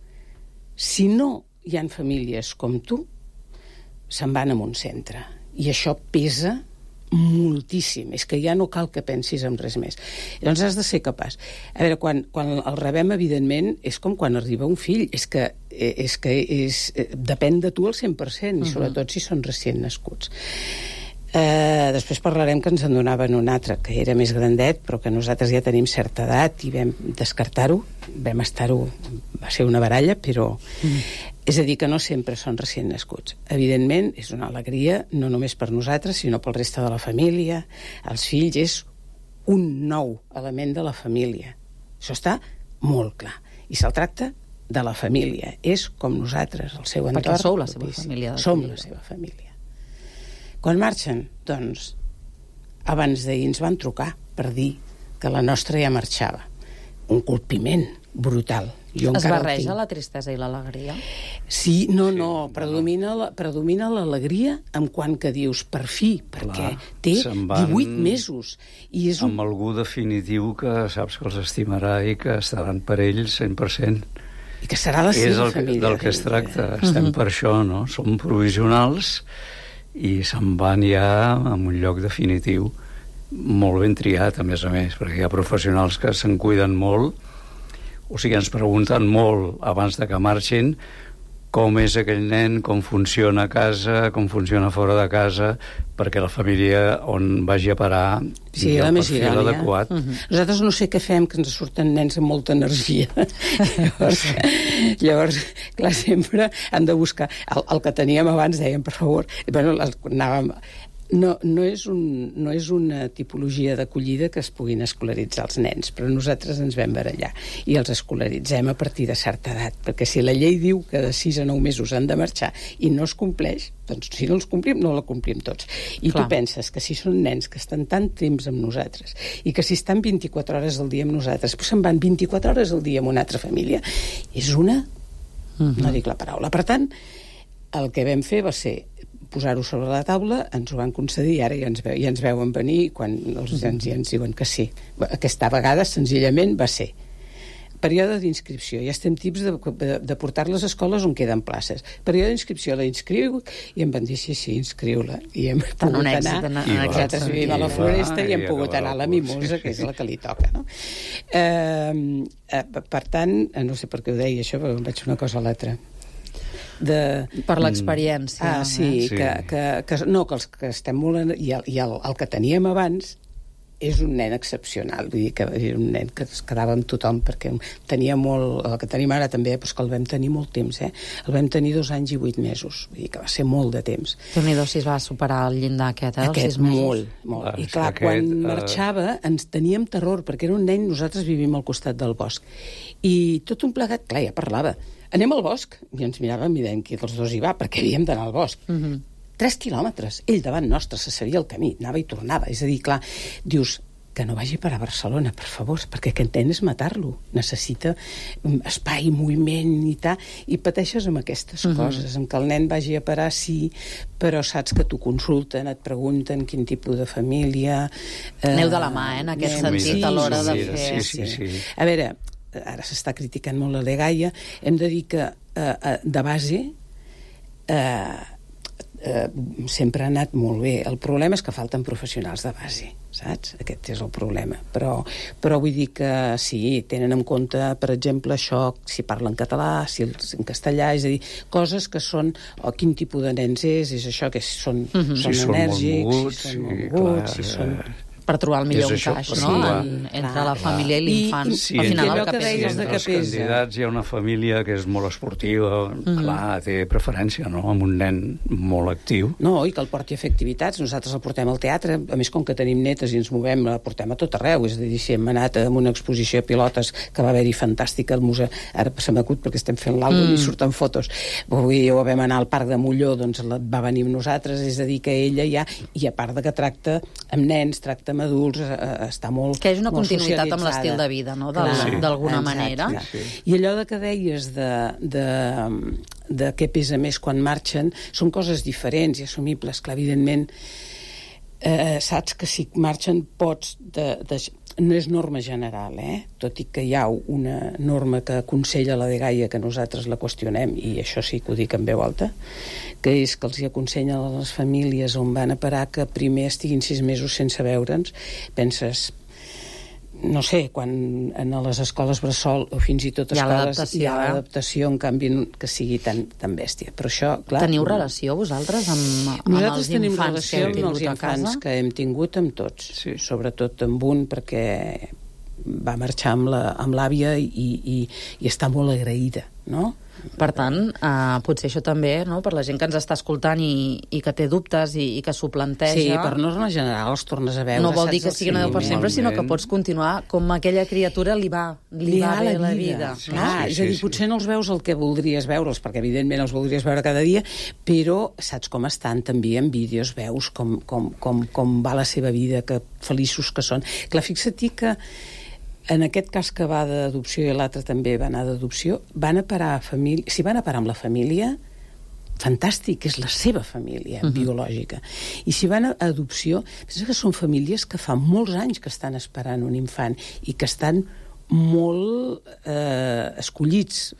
si no hi ha famílies com tu, se'n van a un centre. I això pesa moltíssim, és que ja no cal que pensis en res més. Llavors has de ser capaç. A veure, quan el rebem, evidentment, és com quan arriba un fill, depèn de tu al 100%, i sobretot si són recient nascuts. Després parlarem que ens en donaven un altre, que era més grandet, però que nosaltres ja tenim certa edat i vam descartar-ho, va ser una baralla, però... És a dir, que no sempre són recient nascuts. Evidentment, és una alegria, no només per nosaltres, sinó pel reste de la família. Els fills és un nou element de la família. Això està molt clar. I se'l tracta de la família. És com nosaltres, el seu entorn. Perquè sou la seva família. Som la seva família. Quan marxen, doncs, abans d'ahir ens van trucar per dir que la nostra ja marxava. Un colpiment brutal. Es barreja la tristesa i l'alegria? Sí, predomina l'alegria en quant que dius per fi, perquè té 18 mesos. I és amb algú definitiu que saps que els estimarà i que estaran per ells 100%. I que serà la seva família. És del que es tracta. Estem per això, no? Som provisionals i se'n van ja a un lloc definitiu, molt ben triat, a més, perquè hi ha professionals que se'n cuiden molt. O sigui, ens pregunten molt abans de que marxin com és aquell nen, com funciona a casa, com funciona fora de casa, perquè la família on vagi a parar hi ha el perfil adequat. Nosaltres no sé què fem, que ens surten nens amb molta energia. Llavors, clar, sempre han de buscar... El que teníem abans, dèiem, per favor... Bueno, anàvem... No és una tipologia d'acollida que es puguin escolaritzar els nens, però nosaltres ens vam barallar i els escolaritzem a partir de certa edat, perquè si la llei diu que de 6 a 9 mesos han de marxar i no es compleix, doncs si no els complim, no la complim tots. I tu penses que si són nens que estan tant temps amb nosaltres i que si estan 24 hores al dia amb nosaltres, però se'n van 24 hores al dia amb una altra família, és una... no dic la paraula. Per tant, el que vam fer va ser posar-ho sobre la taula, ens ho van concedir, ara ja ens veuen venir quan ja ens diuen que sí. Aquesta vegada, senzillament, va ser període d'inscripció. Ja estem tips de portar-les a escoles on queden places. Període d'inscripció, la inscriu, i em van dir, sí, inscriu-la. I hem pogut anar. Nosaltres vivim a la Floresta i hem pogut anar a la Mimosa, que és la que li toca, no? Per tant, no sé per què ho deia això, però em vaig una cosa a l'altra. Per l'experiència. Que els que estem molt... I el que teníem abans és un nen excepcional, vull dir que era un nen que es quedava amb tothom, perquè tenia molt... El que tenim ara també, però que el vam tenir molt temps, El vam tenir 2 anys i 8 mesos, vull dir que va ser molt de temps. Déu-n'hi-do si es va superar el llindar aquest, dels 6 mesos. Molt. I clar, quan marxava ens teníem terror, perquè era un nen, nosaltres vivim al costat del bosc, i tot un plegat, clar, ja parlava. Anem al bosc, i ens miràvem i dèiem que els dos hi va, perquè havíem d'anar al bosc. 3 quilòmetres, ell davant nostre, se sabia el camí, anava i tornava. És a dir, clar, dius que no vagi per a Barcelona, per favor, perquè que entén és matar-lo. Necessita espai, moviment i tal, i pateixes amb aquestes coses, en què el nen vagi a parar, sí, però saps que t'ho consulten, et pregunten quin tipus de família... Aneu de la mà, en aquest sentit, a l'hora de fer... Sí. A veure, ara s'està criticant molt la Legaia, hem de dir que de base sempre ha anat molt bé. El problema és que falten professionals de base, saps? Aquest és el problema. Però vull dir que sí, tenen en compte, per exemple, això, si parlen català, si en castellà, és a dir, coses que són, quin tipus de nens és això, que són enèrgics, si són molt moguts, si són... per trobar el millor encaix, no? Entre la família i l'infant. Sí, al final el que pesa. Entre els candidats hi ha una família que és molt esportiva, clar, té preferència, no?, amb un nen molt actiu. No, i que el porti a fer activitats. Nosaltres el portem al teatre, a més, com que tenim netes i ens movem, el portem a tot arreu. És a dir, si hem anat a una exposició de pilotes que va haver-hi fantàstica al museu, ara se m'acut perquè estem fent l'àlbum i surten fotos. Vull dir, vam anar al Parc de Molló, doncs va venir amb nosaltres, és a dir, que ella ja, i a part de que tracta amb nens, tracta amb adults, està molt que és una continuïtat amb l'estil de vida, no? D'alguna manera. I allò que deies de què pesa més quan marxen són coses diferents i assumibles, que evidentment saps que si marxen pots no és norma general, tot i que hi ha una norma que aconsella la dgaia que nosaltres la qüestionem, i això sí que ho dic en veu alta, que és que els hi aconsellen a les famílies on van a parar que primer estiguin 6 mesos sense veure'ns. Penses, no sé, quan a les escoles bressol o fins i tot escoles hi ha l'adaptació, en canvi que sigui tan bèstia. Però això, clar... Teniu relació vosaltres amb els infants? Nosaltres tenim relació amb els infants que hem tingut amb tots, sobretot amb un, perquè va marxar amb l'àvia i està molt agraïda, no? Per tant, potser això també, no?, per la gent que ens està escoltant i que té dubtes i que s'ho planteja... Sí, per norma general els tornes a veure... No vol dir que sigui una veu per sempre, sinó que pots continuar com aquella criatura li va bé la vida. Clar, és a dir, potser no els veus el que voldries veure'ls, perquè evidentment els voldries veure cada dia, però saps com estan també en vídeos, veus com va la seva vida, que feliços que són. Clar, fixa't que en aquest cas que va d'adopció i l'altre també va anar d'adopció, van a parar si van a parar amb la família, fantàstic, és la seva família biològica. I si van a adopció, pensa que són famílies que fa molts anys que estan esperant un infant i que estan molt escollits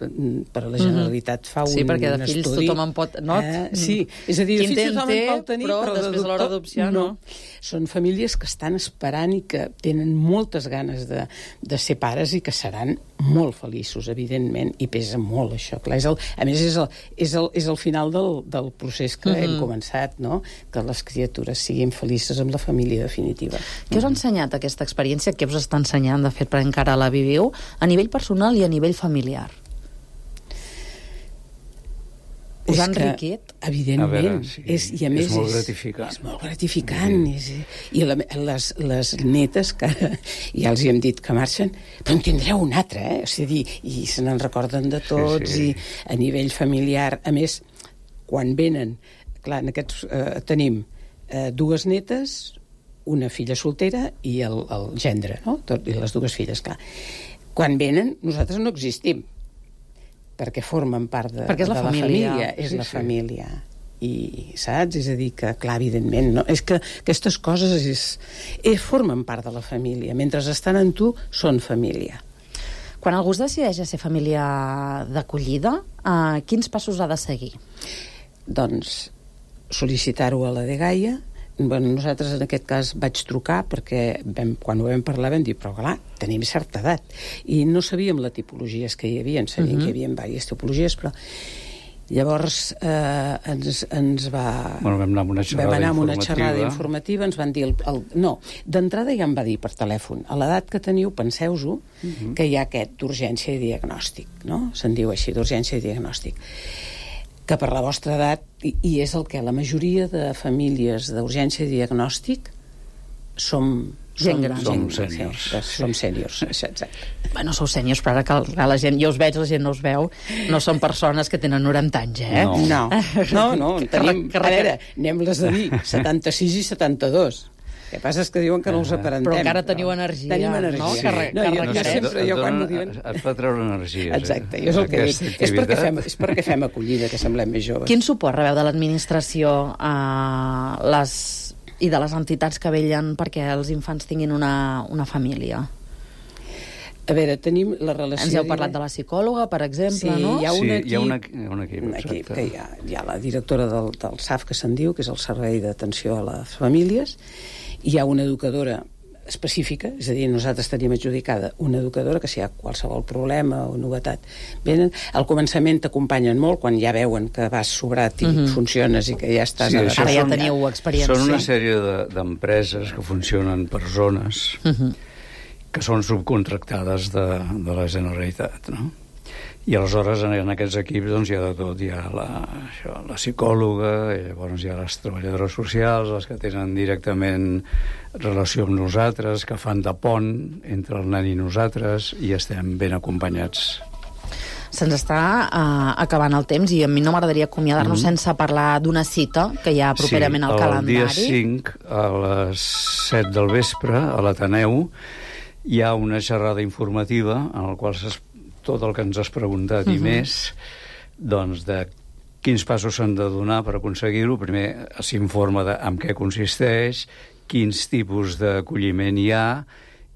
per la Generalitat. Fa un estudi. Sí, perquè de fills tothom en pot... Sí, és a dir, de fills tothom en pot tenir, però després a l'hora d'adopció no. Són famílies que estan esperant i que tenen moltes ganes de ser pares i que seran molt feliços, evidentment, i pesa molt això. Clar, a més, és el final del procés que hem començat, no? Que les criatures siguin felices amb la família definitiva. Què us ha ensenyat aquesta experiència? Què us està ensenyant, de fet, per encara la viviu, a nivell personal i a nivell familiar? Us ha enriquit? Evidentment. I a més és molt gratificant. És molt gratificant. I les netes, que ja els hi hem dit que marxen, però en tindreu un altre, O sigui, i se n'en recorden de tots, i a nivell familiar. A més, quan venen, clar, en aquests tenim 2 netes, una filla soltera i el gendre, no? I les 2 filles, clar. Quan venen, nosaltres no existim, perquè formen part de la família. És la família. I, saps? És a dir, que, clar, evidentment, no? És que aquestes coses formen part de la família. Mentre estan en tu, són família. Quan algú es decideix a ser família d'acollida, quins passos ha de seguir? Doncs sol·licitar-ho a la dgaia. Nosaltres en aquest cas vaig trucar perquè quan ho vam parlar vam dir, però clar, tenim certa edat i no sabíem les tipologies que hi havia, sabíem que hi havia diverses tipologies, però llavors ens va... Vam anar amb una xerrada informativa, ens van dir... No, d'entrada ja em va dir per telèfon, a l'edat que teniu, penseu-ho, que hi ha aquest d'urgència i diagnòstic, no? Se'n diu així, d'urgència i diagnòstic, que per la vostra edat, i és el que la majoria de famílies d'urgència i diagnòstic som gent gran. Som sèniors. Som sèniors, exacte. Bueno, sou sèniors, però ara que la gent, jo us veig, la gent no us veu, no són persones que tenen 90 anys, No, tenim, a veure, anem-les a dir, 76 i 72. El que passa és que diuen que no els aparentem. Però encara teniu energia. Tenim energia. Jo quan m'ho diuen... Et fa treure energia. Exacte, jo és el que dic. És perquè fem acollida, que semblem més joves. Quin suport rebeu de l'administració i de les entitats que vellen perquè els infants tinguin una família? A veure, tenim la relació... Ens heu parlat de la psicòloga, per exemple, no? Hi ha un equip. Un equip que hi ha la directora del SAF, que se'n diu, que és el Servei d'Atenció a les Famílies. Hi ha una educadora específica, és a dir, nosaltres tenim adjudicada una educadora que si hi ha qualsevol problema o novetat venen. Al començament t'acompanyen molt, quan ja veuen que vas sobrat i funciones i que ja estàs... Ara ja teniu experiència. Són una sèrie d'empreses que funcionen per zones que són subcontractades de la Generalitat, no? I aleshores en aquests equips doncs, hi ha de tot, hi ha la psicòloga, i llavors hi ha les treballadores socials, les que tenen directament relació amb nosaltres, que fan de pont entre el nen i nosaltres, i estem ben acompanyats. Se'ns està acabant el temps i a mi no m'agradaria acomiadar-nos sense parlar d'una cita que hi ha properament al calendari. El dia 5, a les 7 del vespre, a l'Ateneu, hi ha una xerrada informativa en la qual tot el que ens has preguntat i més, doncs de quins passos s'han de donar per aconseguir-ho. Primer s'informa en què consisteix, quins tipus d'acolliment hi ha,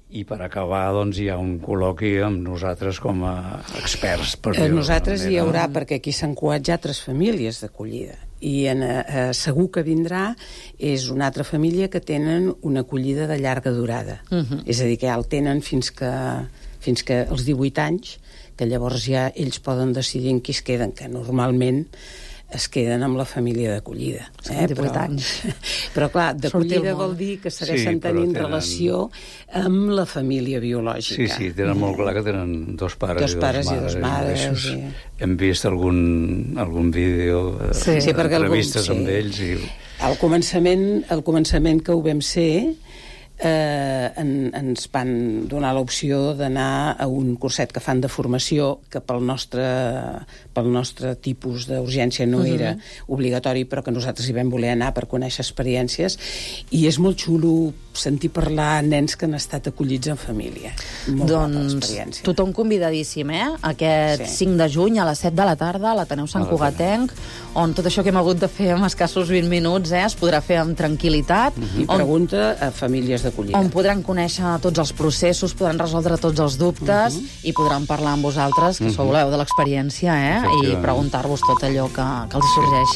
i per acabar doncs, hi ha un col·loqui amb nosaltres com a experts. Nosaltres hi haurà, perquè aquí a Sant Cugat hi ha 3 famílies d'acollida, i segur que vindrà és una altra família que tenen una acollida de llarga durada. És a dir, que ja el tenen fins que als 18 anys, que llavors ja ells poden decidir en qui es queden, que normalment es queden amb la família d'acollida. 18 anys. Però clar, d'acollida vol dir que segueixen tenint relació amb la família biològica. Sí, tenen molt clar que tenen 2 pares i 2 mares. Hem vist algun vídeo, entrevistes amb ells. Al començament que ho vam ser, ens van donar l'opció d'anar a un curset que fan de formació, que pel nostre tipus d'urgència no era obligatori, però que nosaltres hi vam voler anar per conèixer experiències, i és molt xulo sentir parlar nens que han estat acollits en família. Doncs tothom convidadíssim, aquest 5 de juny a les 7 de la tarda a l'Ateneu Sant Cugatenc, on tot això que hem hagut de fer en escassos 20 minuts es podrà fer amb tranquil·litat. I pregunta a famílies d'acollida. On podran conèixer tots els processos, podran resoldre tots els dubtes i podran parlar amb vosaltres, que sou l'heu de l'experiència, i preguntar-vos tot allò que els sorgeixi.